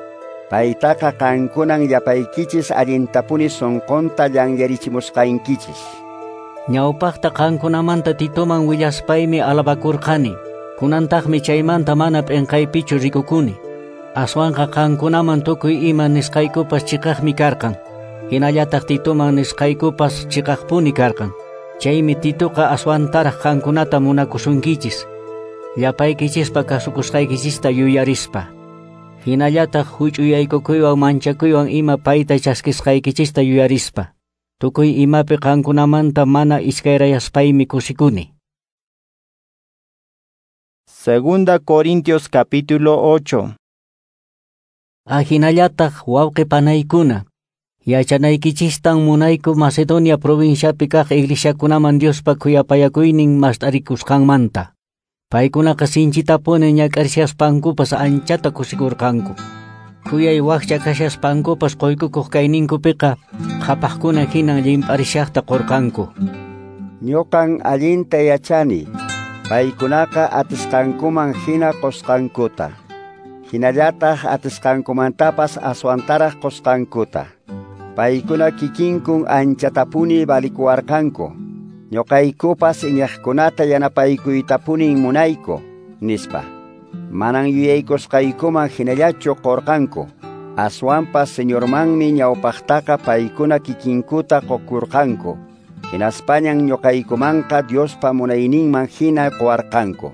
Paytaqa qankunan llapaykichis allintapuni sunqunta llanllarichimusqankichis. Ñawpaqta qankunamanta Titoman willaspaymi alabakurqani. Kunantaqmi chaymanta mana p'inqaypichu rikukuni. Aswanqa qankunaman tukuy ima nisqaykupas chiqaqmi karqan. Hinallataq Titoman nisqaykupas chiqaqpuni karqan. Chaymi Titoqa aswantaraq qankunata munakusunkichis. Llapaykichispa kasukusqaykichista yuyarispa. Hinallataq huch'uyaykukuywan manchakuywan ima payta chaskisqaykichista yuyarispa. Tukuy imapi qankunamanta mana iskayrayaspaymi kusikuni. Segunda Corintios capítulo ocho. Ahinallataq wawqi panaykuna, yachanaykichistan munayku Macedonia provinciapi kaq iglesiakunaman Diospa khuyapayakuynin mast'arikusqanmanta. Paykunaqa sinchitapuni ñak'arishaspankupas anchata kusikurqanku. Khuyay wakcha kashaspankupas quykukuq kayninkupiqa qhapaqkuna hinan llimp'arishaqta qurqanku. Ñuqan allinta yachani, paykunaqa atisqankuman hina qusqankuta. Hinallataq atisqankumantapas aswantaraq qusqankuta. Paykuna kikinkun anchatapuni valikuwarqanku. Ñuqaykupas iñaqkunata yanapaykuytapunin munayku, nispa. Manan yuyaykusqaykuman hinallachu qurqanku. Aswanpas Señormanmi ñawpaqtaqa paykuna kikinkuta qukurqanku. Hinaspañan ñuqaykumanqa Diospa munayninman hina quwarqanku.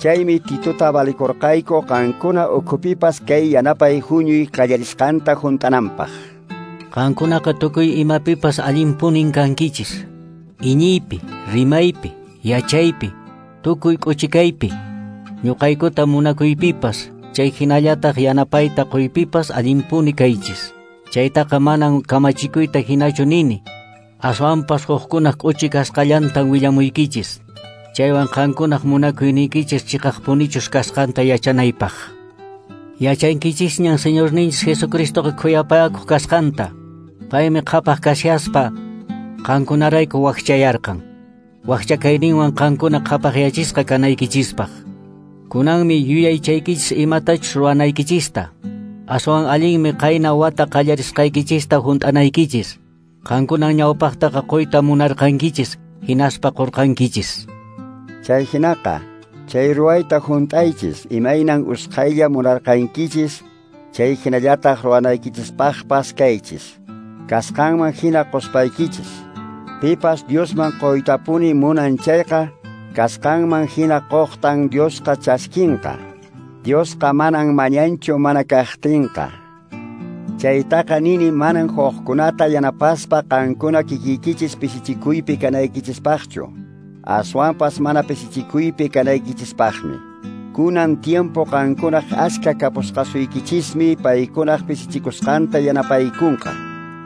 Chaymi Titota valikurqayku qankuna ukhupipas kay yanapay huñuy qallarisqanta hunt'ananpaq. Qankunaqa tukuy imapipas allinpunin kankichis. Iñiypi, rimaypi, yachaypi, tukuy k'uchikaypi, ñuqaykuta munakuypipas, chay hinallataq yanapayta quypipas allinpuni kaychis. Chaytaqa manan kamachikuyta hinachu nini, aswanpas hukkunaq k'uchi kasqallantan willamuykichis. Chaywan qankunaq munakuyniykichis chiqaqpunichus kasqanta yachanaypaq. Yachankichisñan Señorninchis Jesucristoqa khuyapayakuq kasqanta. Paymi qhapaq kashaspa qankunarayku wakchayarqan. Wakcha kayninwan qankuna qhapaqyachisqa kanaykichispaq. Kunanmi yuyaychaykichis imatachus ruwanaykichista. Aswan allinmi qayna wata qallarisqaykichista hunt'anaykichis. Qankunan ñawpaqtaqa quyta munarqankichis, hinaspa qurqankichis. Chay hinaqa, chay ruwayta hunt'aychis, imaynan usqhaylla munarqankichis, chay hinallataq ruwanaykichispaqpas kaychis. Kasqanman hina quspaykichis. Pipas Diosman quytapuni munan chayqa, kasqanman hina quqtan Diosqa chaskinqa. Diosqa manan mañanchu mana kaqtinqa. Chaytaqa nini manan huqkunata yanapaspa qankuna kikikichis pisichikuypi kanaykichispaqchu. Aswanpas mana pisichikuypi kanaykichispaqmi. Kunan tiempo qankunaq askha kapusqasuykichismi paykunaq pisichikusqanta yanapaykunqa.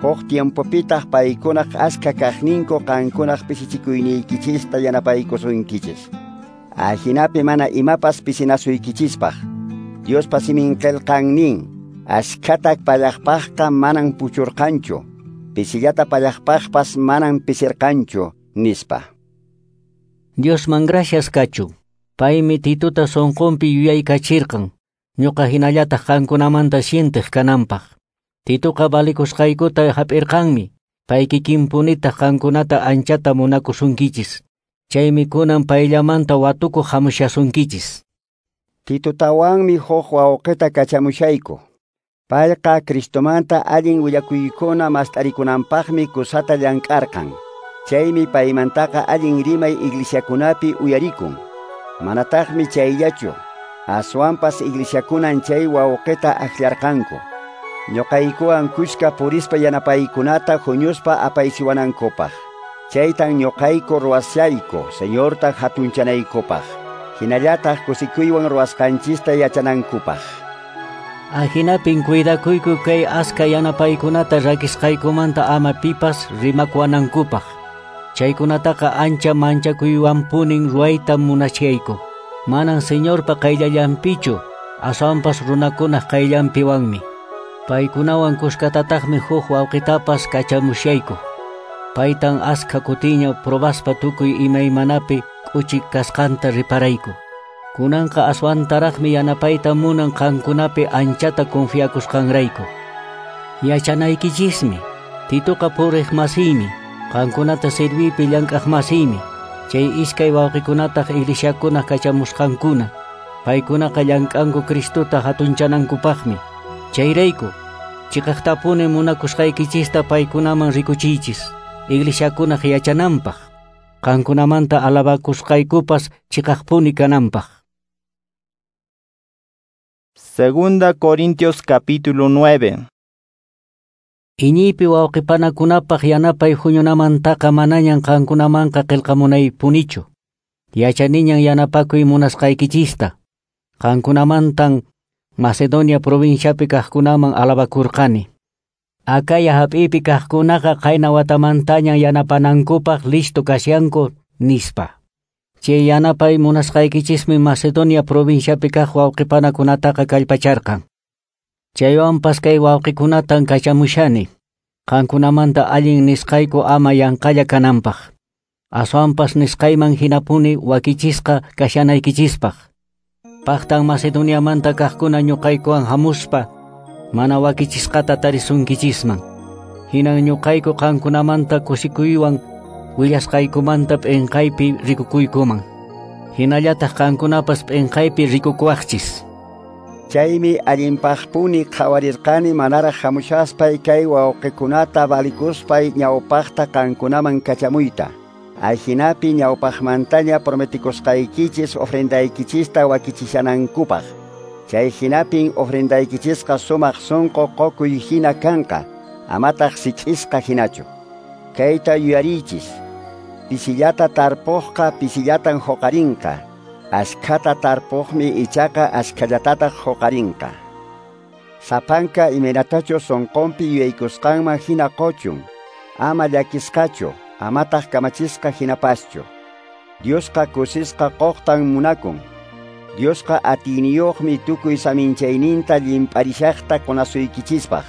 Huk tiempopitaq paykunaq askha kaqninku qankunaq pisichikuyniykichista yanapaykusunkichis. Ajinapi mana imapas pisinasuykichispaq. Diospa simin qillqan nin, askhata pallaqpaqqa manan puchurqanchu, pisillata pallaqpaqpas manan pisirqanchu, nispa. Diosman gracias kachun. Paymi Tituta sonqonpi yuyaykachirqan, ñuqa hinallataq qankunamanta sientiq kananpaq. Tituqa valikusqaykuta hap'irqanmi, pay kikinpunitaq qankunata anchata munakusunkichis. Chaymi kunan payllamanta watukuq hamushasunkichis. Titutawanmi huk wawqita kachamushayku. Payqa Cristomanta allin willakuykuna mast'arikunanpaqmi kusata llank'arqan. Chaymi paymantaqa allin rimay iglesiakunapi uyarikun. Manataqmi chayllachu, aswanpas iglesiakunan chay wawqita akllarqanku. Ñuqaykuwan kushka purispa yanapaykunata huñuspa apaysiwanankupaq. Chaytan ñuqayku ruwashayku, Señorta hatunchanaykupaq. Hinallataq kusikuywan ruwasqanchista yachanankupaq. Ajinapin cuidakuyku kay aska yanapaykunata rakisqaykumanta ama pipas rimakuwanankupaq. Chaykunataqa ancha manchakuywanpunin ruwayta munachayku. Manan Señorpa qayllallanpichu, aswanpas runakunaq qayllanpiwanmi. Paykunawan kuskatataqmi huk wawqitapas kachamushayku. Paytan askha kutiña probaspa tukuy imaymanapi k'uchi kasqanta riparayku. Kunanqa aswantaraqmi yanapayta munan qankunapi anchata confiakusqanrayku. Yachanaykichismi, Tituqa puriq masiymi, qankunata serviypi llank'aq masiymi, chay iskay wawqikunataq iglesiakunaq kachamusqankuna. Paykunaqa llank'anku Cristota hatunchanankupaqmi. Chayrayku, chiqaqtapuni munakusqaykichista paykunaman rikuchiychis, iglesiakunaq yachananpaq, qankunamanta alabakusqaykupas chiqaqpuni kananpaq. Segunda Corintios capítulo nueve. Iñiypi wawqipanakunapaq yanapay huñunamantaqa manañan qankunamanqa qillqamunaypunichu. Yachaniñan yanapakuy munasqaykichista. Qankunamantan Macedonia provinciapi kaqkunaman alabakurqani. Acaya hap'ipi kaqkunaqa qayna watamantañan yanapanankupaq listo kashanku nispa. Chay yanapay munasqaykichismi Macedonia provinciapi kaq wawqipanakunataqa kallpacharqan. Chaywanpas kay wawqikunatan kachamushani, qankunamanta allin nisqayku ama yanqalla kananpaq. Aswanpas nisqayman hinapuni wakichisqa kashanaykichispaq. Paqtan Macedoniamanta kaqkuna ñuqaykuwan hamuspa mana wakichisqata tarisunkichisman. Hinan ñuqayku qankunamanta kusikuywan willasqaykumanta p'inqaypi rikukuykuman. Hinallataq qankunapas p'inqaypi rikukuwaqchis. Chaymi allinpaqpuni qhawarirqani manaraq hamushaspay kay wawqikunata valikuspay ñawpaqta qankunaman kachamuyta. Ajinapi ñawpaqmantaña prometikusqaykichis ofrendaykichista wakichishanankupaq. Chay hinapin ofrendaykichisqa sumaq sunqu qukuy hina kanqa, amataq sich'isqa hinachu. Kayta yuyariychis, pisillata tarpuqqa pisillatan huqarinqa, askhata tarpuqmi ichaqa askhallatataq huqarinqa. Sapanka imaynatachu sunqunpi yuyaykusqanman hina quchun, ama llakisqachu, amataq kamachisqa hinapaschu. Diosqa kusisqa quqtan munakun. Diosqa atiyniyuqmi tukuy saminchayninta llimp'arishaqta qunasuykichispaq.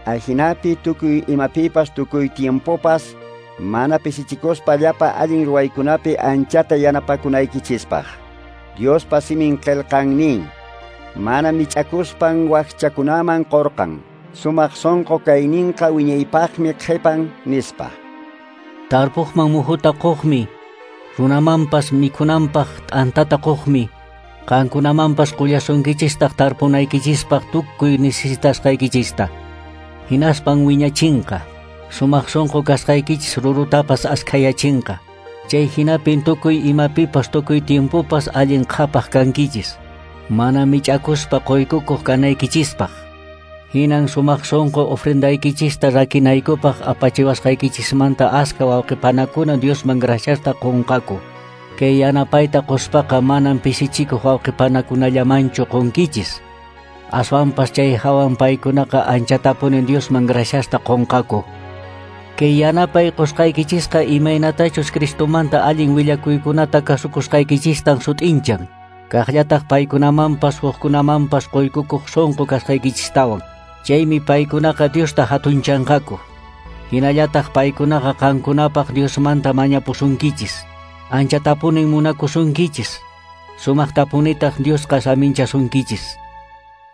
Ajinapi tukuy imapipas tukuy tiempopas mana pisichikuspa llapa allin ruwaykunapi anchata yanapakunaykichispaq. Diospa simin qillqan nin, mana mich'akuspan wakchakunaman qurqan, sumaq sunqu kayninqa wiñaypaqmi qhipan, nispa. Tarpuqman muhuta quqmi, runamanpas mikhunanpaq t'antata quqmi, qankunamanpas qullasunkichistaq tarpunaykichispaq tukuy necesitasqaykichista. Hinaspan wiñachinqa, sumaq sunqu kasqaykichis rurutapas askhayachinqa. Chay hinapin tukuy imapipas tukuy tiempopas allin qhapaq kankichis, mana mich'akuspa quykukuq kanaykichispaq. Hinan sumaq sonqo ofrendaykichista rakinaykupaq apachiwasqaykichismanta aska wawqipanakuna Diosman graciasta qunqaku. Kay yanapayta quspaqa manan pisichikuq wawqipanakunallamanchu qunkichis. Aswanpas chay hawan paykunaqa anchatapuni Diosman graciasta qunqaku. Kay yanapay qusqaykichisqa imaynatachus Cristomanta allin willakuykunata kasukusqaykichistan sut'inchan. Kaqllataq paykunamanpas hukkunamanpas quykukuq sonqo kasqaykichistawan. Chaymi paykunaqa Diosta hatunchanqaku. Hinallataq paykunaqa qankunapaq Diosmanta mañapusunkichis. Anchatapunin munakusunkichis. Sumaqtapunitaq Diosqa saminchasunkichis.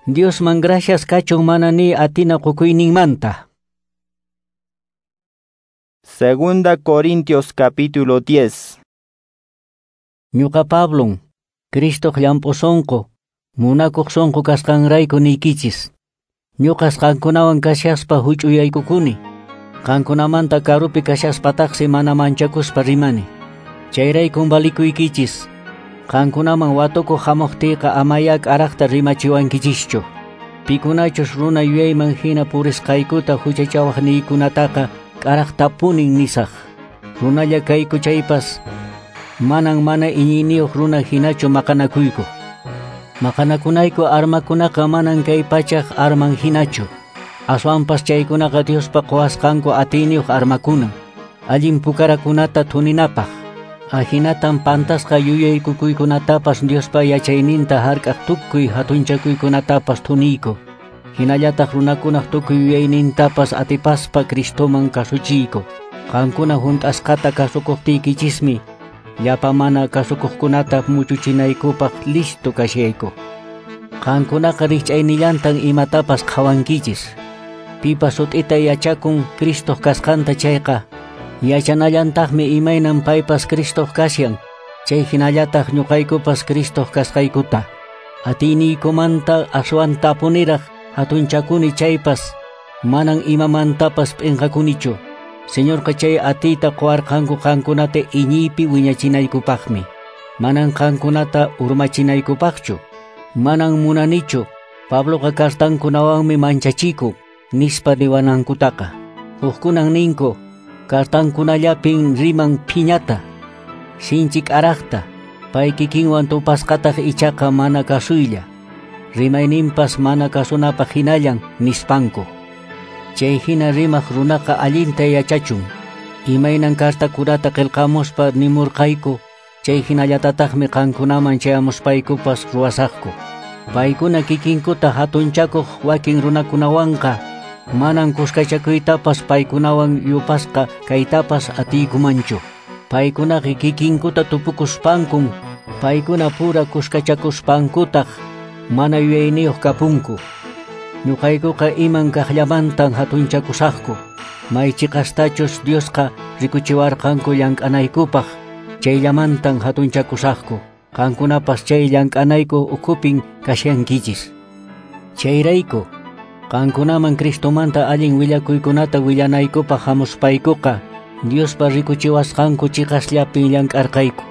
Diosman gracias kachun mana ni atina qukuyninmanta. Segunda Corintios capítulo diez. Ñuqa Pablon, Cristoq llamp'u sonqo, munakuq sonqo kasqanrayku niykichis. Ñuqas qankunawan kashaspa huch'uyaykukuni. Qankunamanta karupi kashaspataqsi mana manchakuspa rimani. Chayraykun valikuykichis. Qankunaman watukuq hamuqtiyqa amaya k'araqta rimachiwankichischu. Pikunachus runa yuyayman hina purisqaykuta huchachawaqniykunataqa k'araqtapunin nisaq. Runalla kayku chaypas manan mana iñiyniyuq runa hinachu maqanakuyku. Maqanakunayku armakunaqa manan kay pachaq arman hinachu. Aswanpas chaykunaqa Diospa quwasqanku atiyniyuq armakuna. Allin pukarakunata thuninapaq. Ahinatan pantasqa yuyaykukuykunatapas Diospa yachayninta hark'aq tukuy hatunchakuykunatapas thuniyku. Hinallataq runakunaq tukuy yuyaynintapas atipaspa Cristoman kasuchiyku. Qankuna hunt'asqata kasukuqtiykichismi llapa mana kasukuqkunata muchuchinaykupaq listo kashayku. Qankunaqa rikch'aynillantan imatapas qhawankichis. Pipas sut'ita yachakun Cristoq kasqanta chayqa, yachanallantaqmi imaynan paypas Cristoq kashan, chay hinallataq ñuqaykupas Cristoq kasqaykuta. Atiyniykumanta aswantapuniraq hatunchakuni chaypas, manan imamantapas p'inqakunichu. Señorqa chay atiyta quwarqanku qankunata iñiypi wiñachinaykupaqmi. Manan qankunata urmachinaykupaqchu. Manan munanichu. Pabloqa kartankunawanmi manchachiku, nispa niwanankutaqa. Hukkunan ninku, kartankunallapin riman phiñata, sinchi k'araqta, pay kikinwan tupasqataq ichaqa mana kasuylla. Rimayninpas mana kasunapaq hinallan nispanku. Chay hina rimaq runaqa allinta yachachun. Imaynan kartakunata qillqamuspa nimurqayku, chay hinallatataqmi qankunaman chayamuspaykupas ruwasaqku. Paykuna kikinkuta hatunchakuq wakin runakunawanqa manan kuskachakuytapas paykunawan yupasqa kaytapas atiykumanchu. Paykunaqa kikinkuta tupukuspankun, paykuna pura kuskachakuspankutaq mana yuyayniyuq kapunku. Ñuqaykuqa iman kaqllamantan hatunchakusaqku. May chiqastachus Diosqa rikuchiwarqanku llank'anaykupaq, chayllamantan hatunchakusaqku. Qankunapas chay llank'anayku ukhupin kashankichis. Chayrayku, qankunaman Cristomanta allin willakuykunata willanaykupaq hamuspaykuqa, Diospa rikuchiwasqanku chiqasllapin llank'arqayku.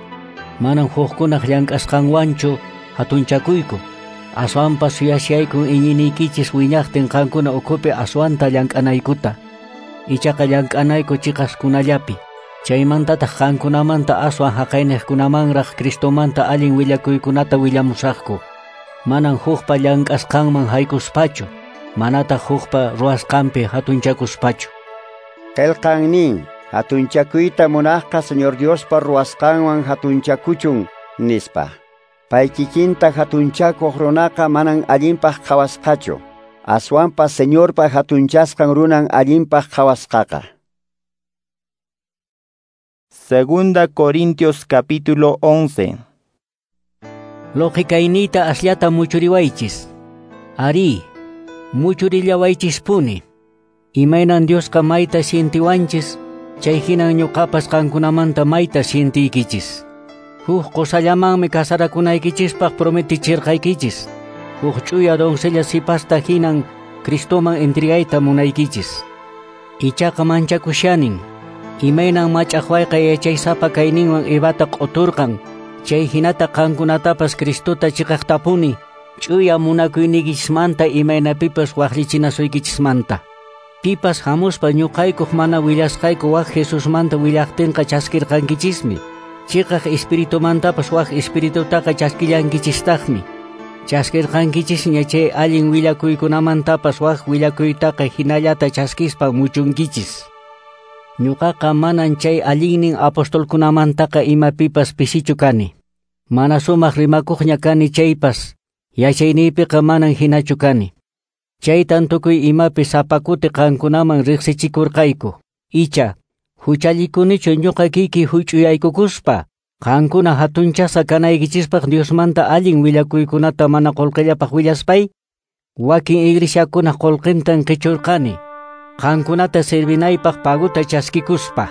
Manan hukkunaq llank'asqanwanchu hatunchakuyku. Aswanpas suyashaykun iñiniykichis wiñaqtin qankuna ukhupi aswanta llank'anaykuta. Ichaqa llank'anayku chiqaskunallapi. Chaymantataq qankunamanta aswan haqayniqkunamanraq Cristomanta allin willakuykunata willamusaqku. Manan hukpa llank'asqanman haykuspachu, manataq hukpa ruwasqanpi hatunchakuspachu. Qillqan nin, hatunchakuyta munaqqa Señor Diospa ruwasqanwan hatunchakuchun, nispa. Pay kikinta hatunchakuq runaqa manan allinpaq qhawasqachu. Aswanpas Señorpa hatunchasqan runan allinpaq qhawasqaqa. Segunda Corintios capítulo once. Lógicayniyta asllata muchuriwaychis. Ari, muchurillawaychispuni. Imaynan Diosqa mayta sientiwanchis, chay hinan ñuqapas qankunamanta mayta sientiykichis. Huk qosallamanmi casarakunaykichispaq prometichirqaykichis. Huk ch'uya doncella sipasta hinan Cristoman entregayta munaykichis. Ichaqa manchakushanin. Imaynan mach'aqwayqa yachaysapa kayninwan Evata q'uturqan, chay hinata qankunatapas Cristota chiqaqtapuni Ch'uya munakuyniykichismanta imaynapipas waqlichinasuykichismanta. Pipas hamuspa ñuqaykuq mana willasqayku wak Jesusmanta willaqtinqa chaskirqankichismi. Chiqaq espiritumantapas wak espiritutaqa chaskillankichistaqmi. Chaskirqankichisña chay allin willakuykunamantapas wak willakuytaqa hinallata chaskispa muchunkichis. Ñuqaqa manan chay allinnin apostolkunamantaqa imapipas pisichu kani. Mana sumaq rimakuqña kani chaypas, yachayniypiqa manan hinachu kani. Chaytan tukuy imapi sapa kuti qankunaman riqsichikurqayku. Icha, huchallikunichu ñuqa kiki huch'uyaykukuspa, qankuna hatunchasqa kanaykichispaq Diosmanta allin willakuykunata mana qullqillapaq willaspay, wakin iglesiakunaq qullqintan qichurqani, qankunata servinaypaq paguta chaskikuspa.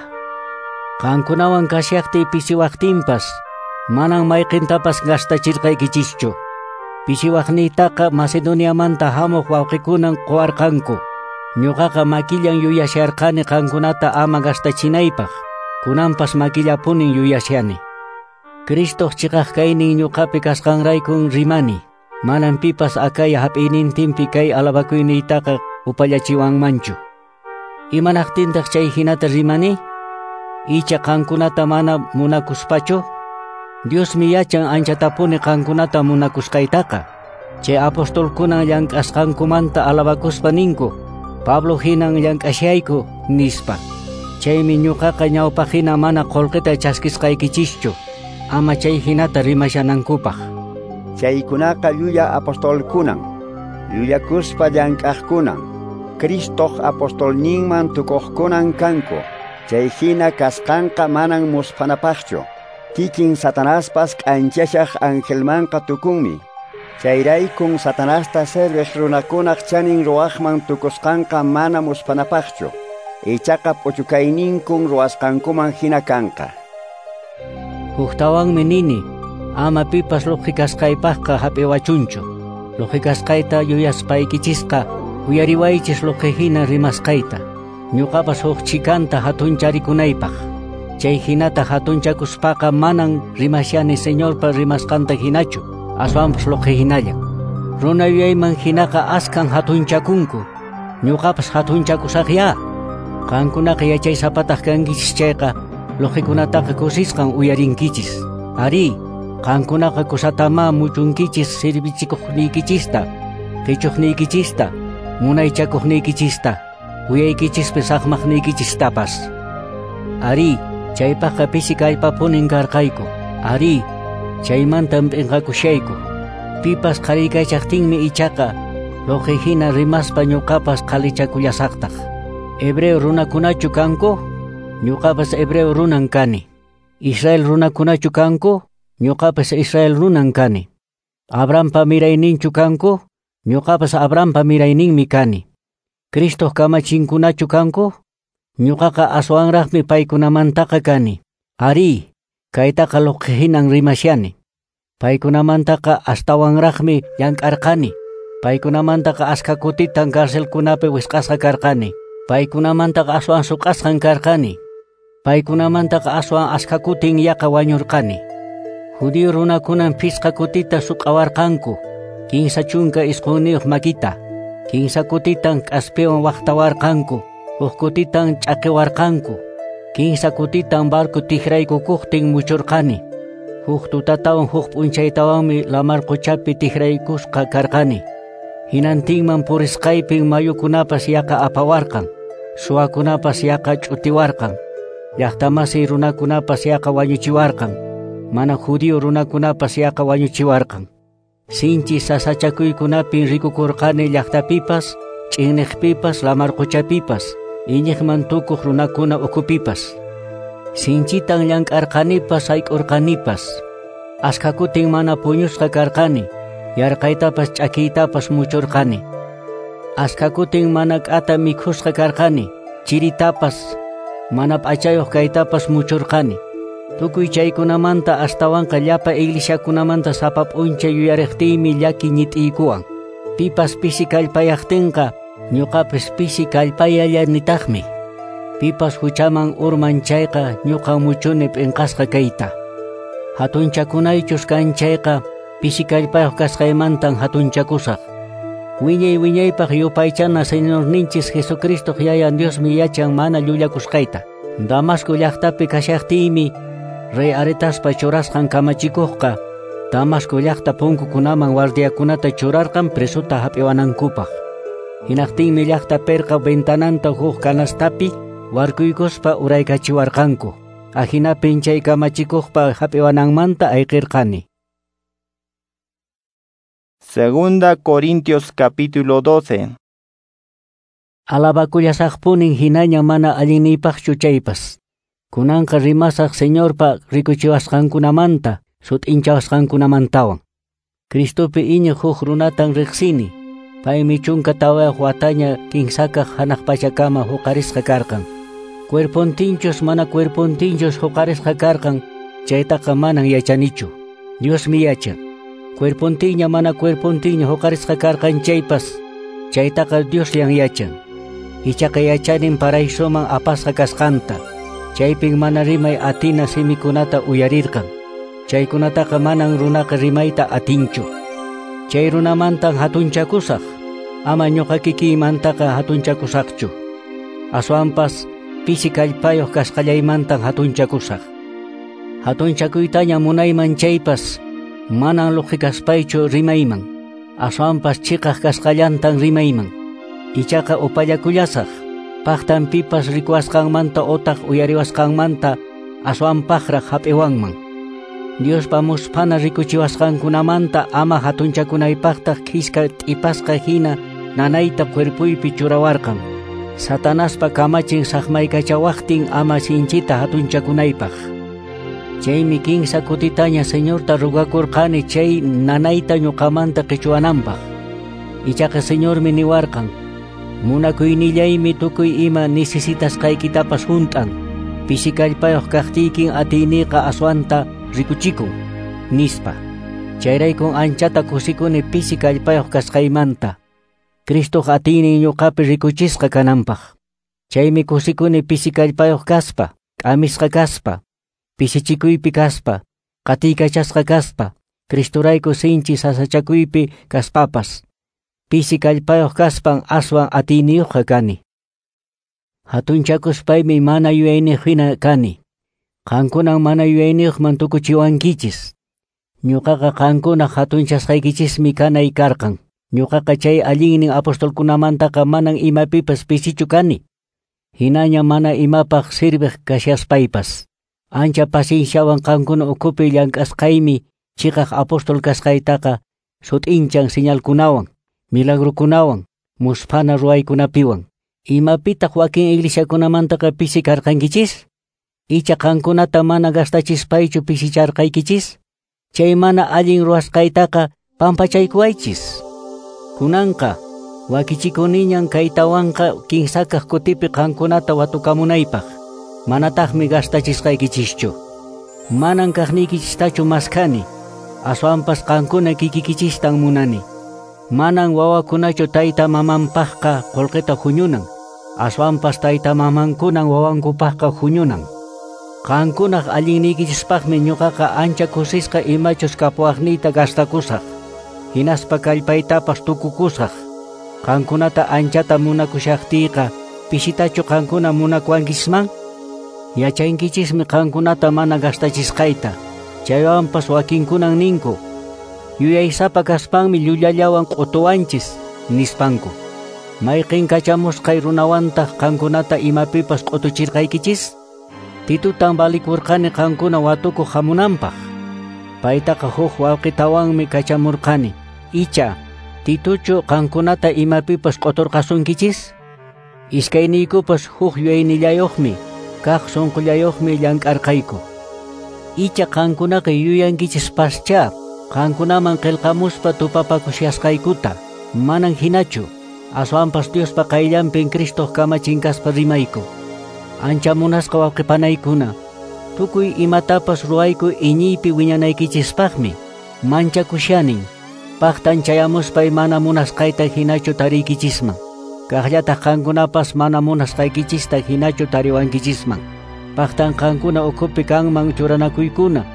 Qankunawan kashaqtiy pisiwaqtinpas, manan mayqintapas gastachirqaykichischu. Pisiwaqniytaqa Macedoniamanta hamuq wawqikunan quwarqanku. Ñuqaqa makillan yuyasharqani qankunata ama gastachinaypaq. Kunanpas makillapunin yuyashani. Cristoq chiqaq kaynin ñuqapi kasqanraykun rimani. Manan pipas Acaya hap'iynintinpi kay alabakuyniytaqa upallachiwanmanchu. Imanaqtintaq chay hinata rimani? Icha qankunata mana munakuspachu? Diosmi yachan anchatapuni qankunata munakusqaytaqa. Chay apostolkunan llank'asqankumanta alabakuspa ninku, Pablo hinan llank'ashayku nispa. Chaymi ñuqaqa ñawpaqhina mana qullqita chaskisqaykichischu, ama chay hinata rimashanankupaq. Chaykunaqa llulla apostolkunan, llullakuspa llank'aqkunan, Cristoq apostolninman tukuqkunan kanku. Chay hina kasqanqa manan musphanapaqchu. Kikin Satanaspas k'anchashaq angelmanqa tukunmi. Chayraykun Satanasta serviq runakunaq chanin ruwaqman tukusqanqa mana musphanapaqchu. Ichaqa p'uchukayninkun ruwasqankuman hina kanqa. Huktawanmi nini, ama pipas luqhi kasqaypaqqa hap'iwachunchu. Luqhi kasqayta yuyaspaykichisqa, uyariwaychis luqhi hina rimasqayta. Ñuqapas huk chikanta hatuncharikunaypaq. Chay hinata hatunchakuspaqa manan rimashani Señorpa rimasqanta hinachu, aswanpas luqhi hinalla. Runa yuyayman hinaqa askan hatunchakunku. Ñuqapas hatunchakusaqya. Qankunaqa yachaysapataq kankichis chayqa, luqhikunataqa kusisqan uyarinkichis. Ari, qankunaqa kusatama muchunkichis servichikuqniykichista, qichuqniykichista, munaychakuqniykichista, uyaykichispi saqmaqniykichistapas. Ari, chaypaqqa pisi kallpapunin karqayku. Ari, chaymantan p'inqakushayku. Pipas qhariykachaqtinmi ichaqa, luqhi hina rimaspa ñuqapas qhalichakullasaqtaq. Hebreo runakunachu kanku? Ñuqapas hebreo runan kani. Israel runakunachu kanku? Ñuqapas Israel runan kani. Abrahampa mirayninchu kanku? Ñuqapas Abrahampa mirayninmi kani. Cristoq kamachinkunachu kanku? Ñuqaqa aswanraqmi paykunamantaqa kani. Ari, kaytaqa luqhi hinan rimashani. Paykunamantaqa astawanraqmi llank'arqani. Paykunamantaqa askha kutitan carcelkunapi wisq'asqa karqani. Paykunamantaqa aswan suq'asqan karqani. Paykunamantaqa aswan askha kutin yaqa wañurqani. Judío runakunan phisqa kutita suq'awarqanku, kinsa chunka isqunniyuq makita. Kinsa kutitan k'aspiwan waqtawarqanku, huk kutitan ch'aqiwarqanku. Kinsa kutitan barco tikraykukuqtin muchurqani. Huk tutatawan huk p'unchaytawanmi lamar quchapi tikraykusqa karqani. Hinantinman purisqaypin mayukunapas yaqa apawarqan, suwakunapas yaqa ch'utiwarqan, llaqtamasiy runakunapas yaqa wañuchiwarqan, mana judío runakunapas yaqa wañuchiwarqan. Sinchi sasachakuykunapin rikukurqani llaqtapipas, ch'inniqpipas, lamar quchapipas, iñiqman tukuq runakuna ukhupipas. Sinchitan llank'arqanipas, sayk'urqanipas. Askha kutin mana puñusqa karqani, yarqaytapas ch'akiytapas muchurqani. Askha kutin mana k'ata mikhusqa karqani, chiritapas, mana p'achayuq kaytapas muchurqani. Tukuy chaykunamanta astawanqa llapa iglesiakunamanta sapa p'unchay yuyariqtiymi llaki ñit'iykuwan. Pipas pisi kallpayaqtinqa, ñuqapas pisi kallpayallanitaqmi. Pipas huchaman urman chayqa, ñuqa muchuni p'inqasqa kayta. Hatunchakunaychus kan chayqa, Pisi kallpayuq kasqaymantan hatunchakusaq. Wiñay wiñaypaq yupaychana Señorninchis Jesucristo yayan Diosmi yachan mana llullakusqayta. Damasco llaqtapi kashaqtiymi rey Aretaspa churasqan kamachikuqqa Damasco llaqta punkukunaman guardiakunata churarqan presuta hap'iwanankupaq. Hinaqtinmi llaqta perqa ventananta huk kanastapi warkuykuspa uraykachiwarqanku. Ahinapin chay kamachikuqpa hap'iwananmanta ayqirqani. Segunda Corintios capítulo doce. Alabakullasaqpunin hinaña mana allinniypaqchu chaypas. Kunanqa rimasaq Señorpa rikuchiwasqankunamanta, sut'inchawasqankunamantawan. Cristopi iñiq huk runatan riqsini. Paymi chunka tawayuq wataña kinsakaq hanaq pachakama huqarisqa karqan. Cuerpontinchus mana cuerpontinchus huqarisqa karqan, chaytaqa manan yachanichu. Diosmi yachan. Cuerpontiña mana cuerpontiña huqarisqa karqan chaypas, chaytaqa Diosllan yachan. Ichaqa yachanin paraisoman apasqa kasqanta. Chaypin mana rimay atina simikunata uyarirqan. Chaykunataqa manan runaqa rimayta atinchu. Chay runamantan hatunchakusaq, ama ñuqa kikiymantaqa hatunchakusaqchu. Aswanpas pisi kallpayuq kasqallaymantan hatunchakusaq. Hatunchakuytaña munayman chaypas, manan luqhikaspaychu rimayman. Aswanpas chiqaq kasqallantan rimayman. Ichaqa upallakullasaq, paqtan pipas rikuwasqanmanta otaq uyariwasqanmanta aswanpaqraq hap'iwanman. Diospa musphana rikuchiwasqankunamanta ama hatunchakunaypaqtaq khiska t'ipasqa hina nanayta cuerpuypi churawarqan. Satanaspa kamachin saqmaykachawaqtin ama sinchita hatunchakunaypaq. Chaymi kinsa kutitaña Señorta rugakurqani chay nanayta ñuqamanta qichuwananpaq. Ichaqa Señormi niwarqan, munakuynillaymi tukuy ima necesitasqaykitapas hunt'an. Pisi kallpayuq kaqtiykin atiyniqa aswanta rikuchikun, nispa. Chayraykun anchata kusikuni pisi kallpayuq kasqaymanta. Cristoq atiynin ñuqapi rikuchisqa kananpaq. Chaymi kusikuni pisi kallpayuq kaspa, k'amisqa kaspa, pisichikuypi kaspa, qatiykachasqa kaspa, Cristorayku sinchi sasachakuypi kaspapas. Pisi kallpayuq kaspan aswan atiyniyuqqa kani. Hatunchakuspaymi mana yuyayniyuq hina kani. Qankunan mana yuyayniyuqman tukuchiwankichis. Ñuqaqa qankuna hatunchasqaykichismi kanay karqan. Ñuqaqa chay allinnin apostolkunamantaqa manan imapipas pisichu kani. Hinaña mana imapaq sirviq kashaspaypas. Ancha pacienciawan qankuna ukhupi llank'asqaymi chiqaq apostol kasqaytaqa sut'inchan señalkunawan, milagrukunawan, musphana ruwaykunapiwan. Imapitaq wakin iglesiakunamantaqa pisi karqankichis? Icha qankunata mana gastachispaychu pisicharqaykichis? Chay mana allin ruwasqaytaqa pampachaykuwaychis. Kunanqa wakichikuniñan kaytawanqa kinsakaq kutipi qankunata watukamunaypaq. Manataqmi gastachisqaykichischu. Manan kaqniykichistachu maskhani, aswanpas qankuna kikikichistan munani. Manan wawakunachu tayta mamanpaqqa qullqita huñunan, aswanpas tayta mamankunan wawankupaqqa huñunan. Qankunaq allinniykichispaqmi ñuqaqa ancha kusisqa imachus kapuwaqniyta gastakusaq, hinaspa kallpaytapas tukukusaq. Qankunata anchata munakushaqtiyqa, pisitachu qankuna munakuwankichisman? Yachankichismi qankunata mana gastachisqayta. Chaywanpas wakinkunan ninku, yuyaysapa kaspanmi llullallawan q'utuwanchis, nispanku. Mayqin kachamusqay runawantaq qankunata imapipas q'utuchirqaykichis? Titutan valikurqani qankuna watukuq hamunanpaq. Paytaqa huk wawqitawanmi kachamurqani. Icha, Tituchu qankunata imapipas q'uturqasunkichis? Iskayniykupas huk yuyaynillayuqmi, kaq sunqullayuqmi llank'arqayku. Icha qankunaqa yuyankichispascha, qankunaman qillqamuspa tupapakushasqaykuta. Manan hinachu, aswanpas Diospa qayllanpin Cristoq kamachin kaspa rimayku. Ancha munasqa wawqipanaykuna, tukuy imatapas ruwayku iñiypi wiñanaykichispaqmi. Manchakushanin, paqtan chayamuspay mana munasqayta hinachu tariykichisman. Kaqllataq qankunapas mana munasqaykichista hinachu tariwankichisman. Paqtan qankuna ukhupi kanman churanakuykuna,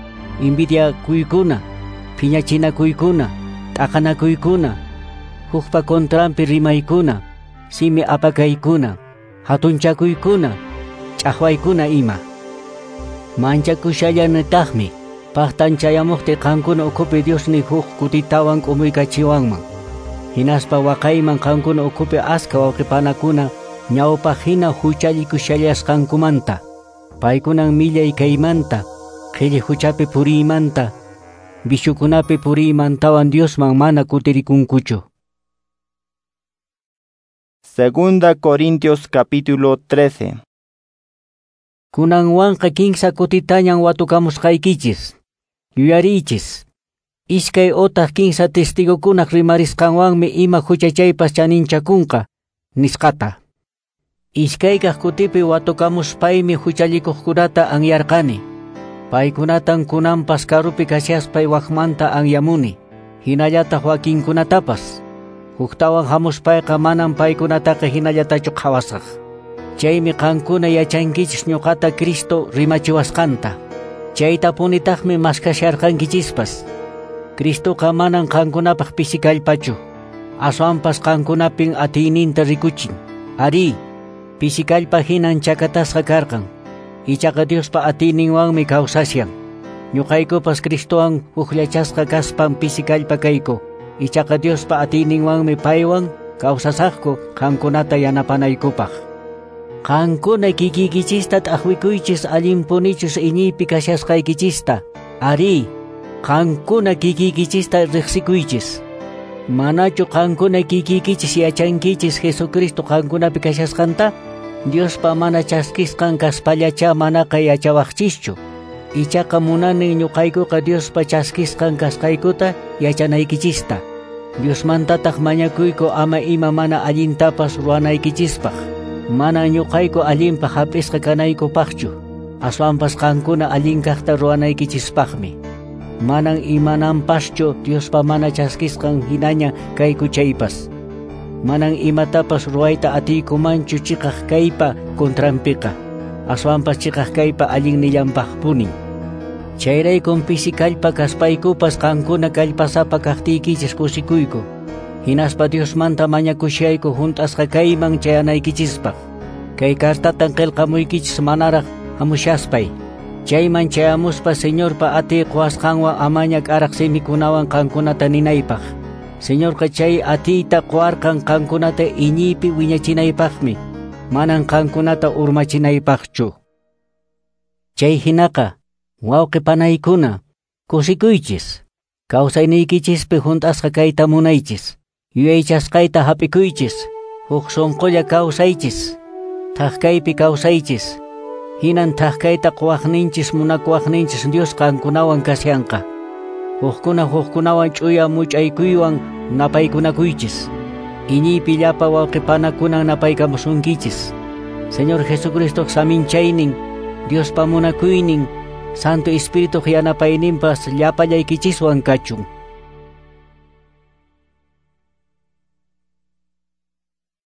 envidiakuykuna, phiñachinakuykuna, t'aqanakuykuna, hukpa contranpi rimaykuna, simi apakaykuna, hatunchakuykuna, ch'aqwaykuna ima. Manchakushallanitaqmi paqtan chayamuqti qankuna ukhupi Diosni huk kutitawan k'umuykachiwanman. Hinaspa waqayman qankuna ukhupi aska wawqipanakuna ñawpaq hina huchallikushallasqankumanta. Paykunan millay kaymanta, qhilli huchapi puriymanta, vishukunapi puriymantawan Diosman mana kutirikunkuchu. Segunda Corintios capítulo trece. Kunanwanqa kinsa kutitañan watukamusqaykichis. Yuyariychis. Iskay otaq kinsa testigokunaq rimarisqanwanmi ima huchachaypas chaninchakunqa, nisqata. Iskaykaq kutipi watukamuspaymi huchallikuqkunata anyarqani. Paykunatan kunanpas karupi kashaspay wakmanta anyamuni, hinallataq wakinkunatapas. Huktawan hamuspayqa manan paykunataqa hinallatachu qhawasaq. Chaymi qankuna yachankichis ñuqata Cristo rimachiwasqanta. Chaytapunitaqmi maskasharqankichispas. Cristoqa manan qankunapaq pisi kallpachu. Aswanpas qankunapin atiyninta rikuchin. Arí, pisi kallpa hinan chakatasqa karqan. Ichaqa Diospa atiyninwanmi kawsashan. Ñuqaykupas Cristowan hukllachasqa kaspan pisi kallpa kayku. Ichaqa Diospa atiyninwanmi paywan kawsasaqku qankunata yanapanaykupaq. Qankuna kikiykichista t'aqwikuychis allinpunichus iñiypi kashasqaykichista. Arí, qankuna kikiykichista riqsikuychis. Manachu qankuna kikiykichis yachankichis Jesucristo qankunapi kashasqanta? Diospa mana chaskisqan kaspallacha manaqa yachawaqchischu. Ichaqa munani ñuqaykuqa Diospa chaskisqan kasqaykuta yachanaykichista. Diosmantataq mañakuyku ama ima mana allintapas ruwanaykichispaq. Mana ñuqayku allinpaq hap'isqa kanaykupaqchu. Aswanpas qankuna allin kaqta ruwanaykichispaqmi. Manan imananpaschu Diospa mana chaskisqan hinaña kayku chaypas. Manan imatapas ruwayta atiykumanchu chiqaq kaypa contranpiqa. Aswanpas chiqaq kaypa allinnillanpaqpunin. Chayraykun pisi kallpa kaspaykupas qankuna kallpasapa kaqtiykichis kusikuyku. Hinaspa Diosmanta mañakushayku hunt'asqa kayman chayanaykichispaq. Kay kartatan qillqamuykichis manaraq hamushaspay. Chayman chayamuspa Señorpa atiy quwasqanwan amaña k'araq simikunawan qankunata ninaypaq. Señorqa chay atiyta quwarqan qankunata iñiypi wiñachinaypaqmi, manan qankunata urmachinaypaqchu. Chay hinaqa, wawqi panaykuna, kusikuychis. Kawsayniykichispi hunt'asqa kayta munaychis. Yuyaychasqayta hap'ikuychis. Huk sunqulla kawsaychis. Thaqkaypi kawsaychis. Hinan thaqkayta quwaqninchis munakuwaqninchis Dios qankunawan kashanqa. Hukkuna hukkunawan ch'uya much'aykuywan napaykunakuychis. Iñiypi llapa wawqipanakunan napaykamusunkichis. Señor Jesucristoq saminchaynin, Diospa munakuynin, Santo Espirituq yanapayninpas llapallaykichiswan kachun.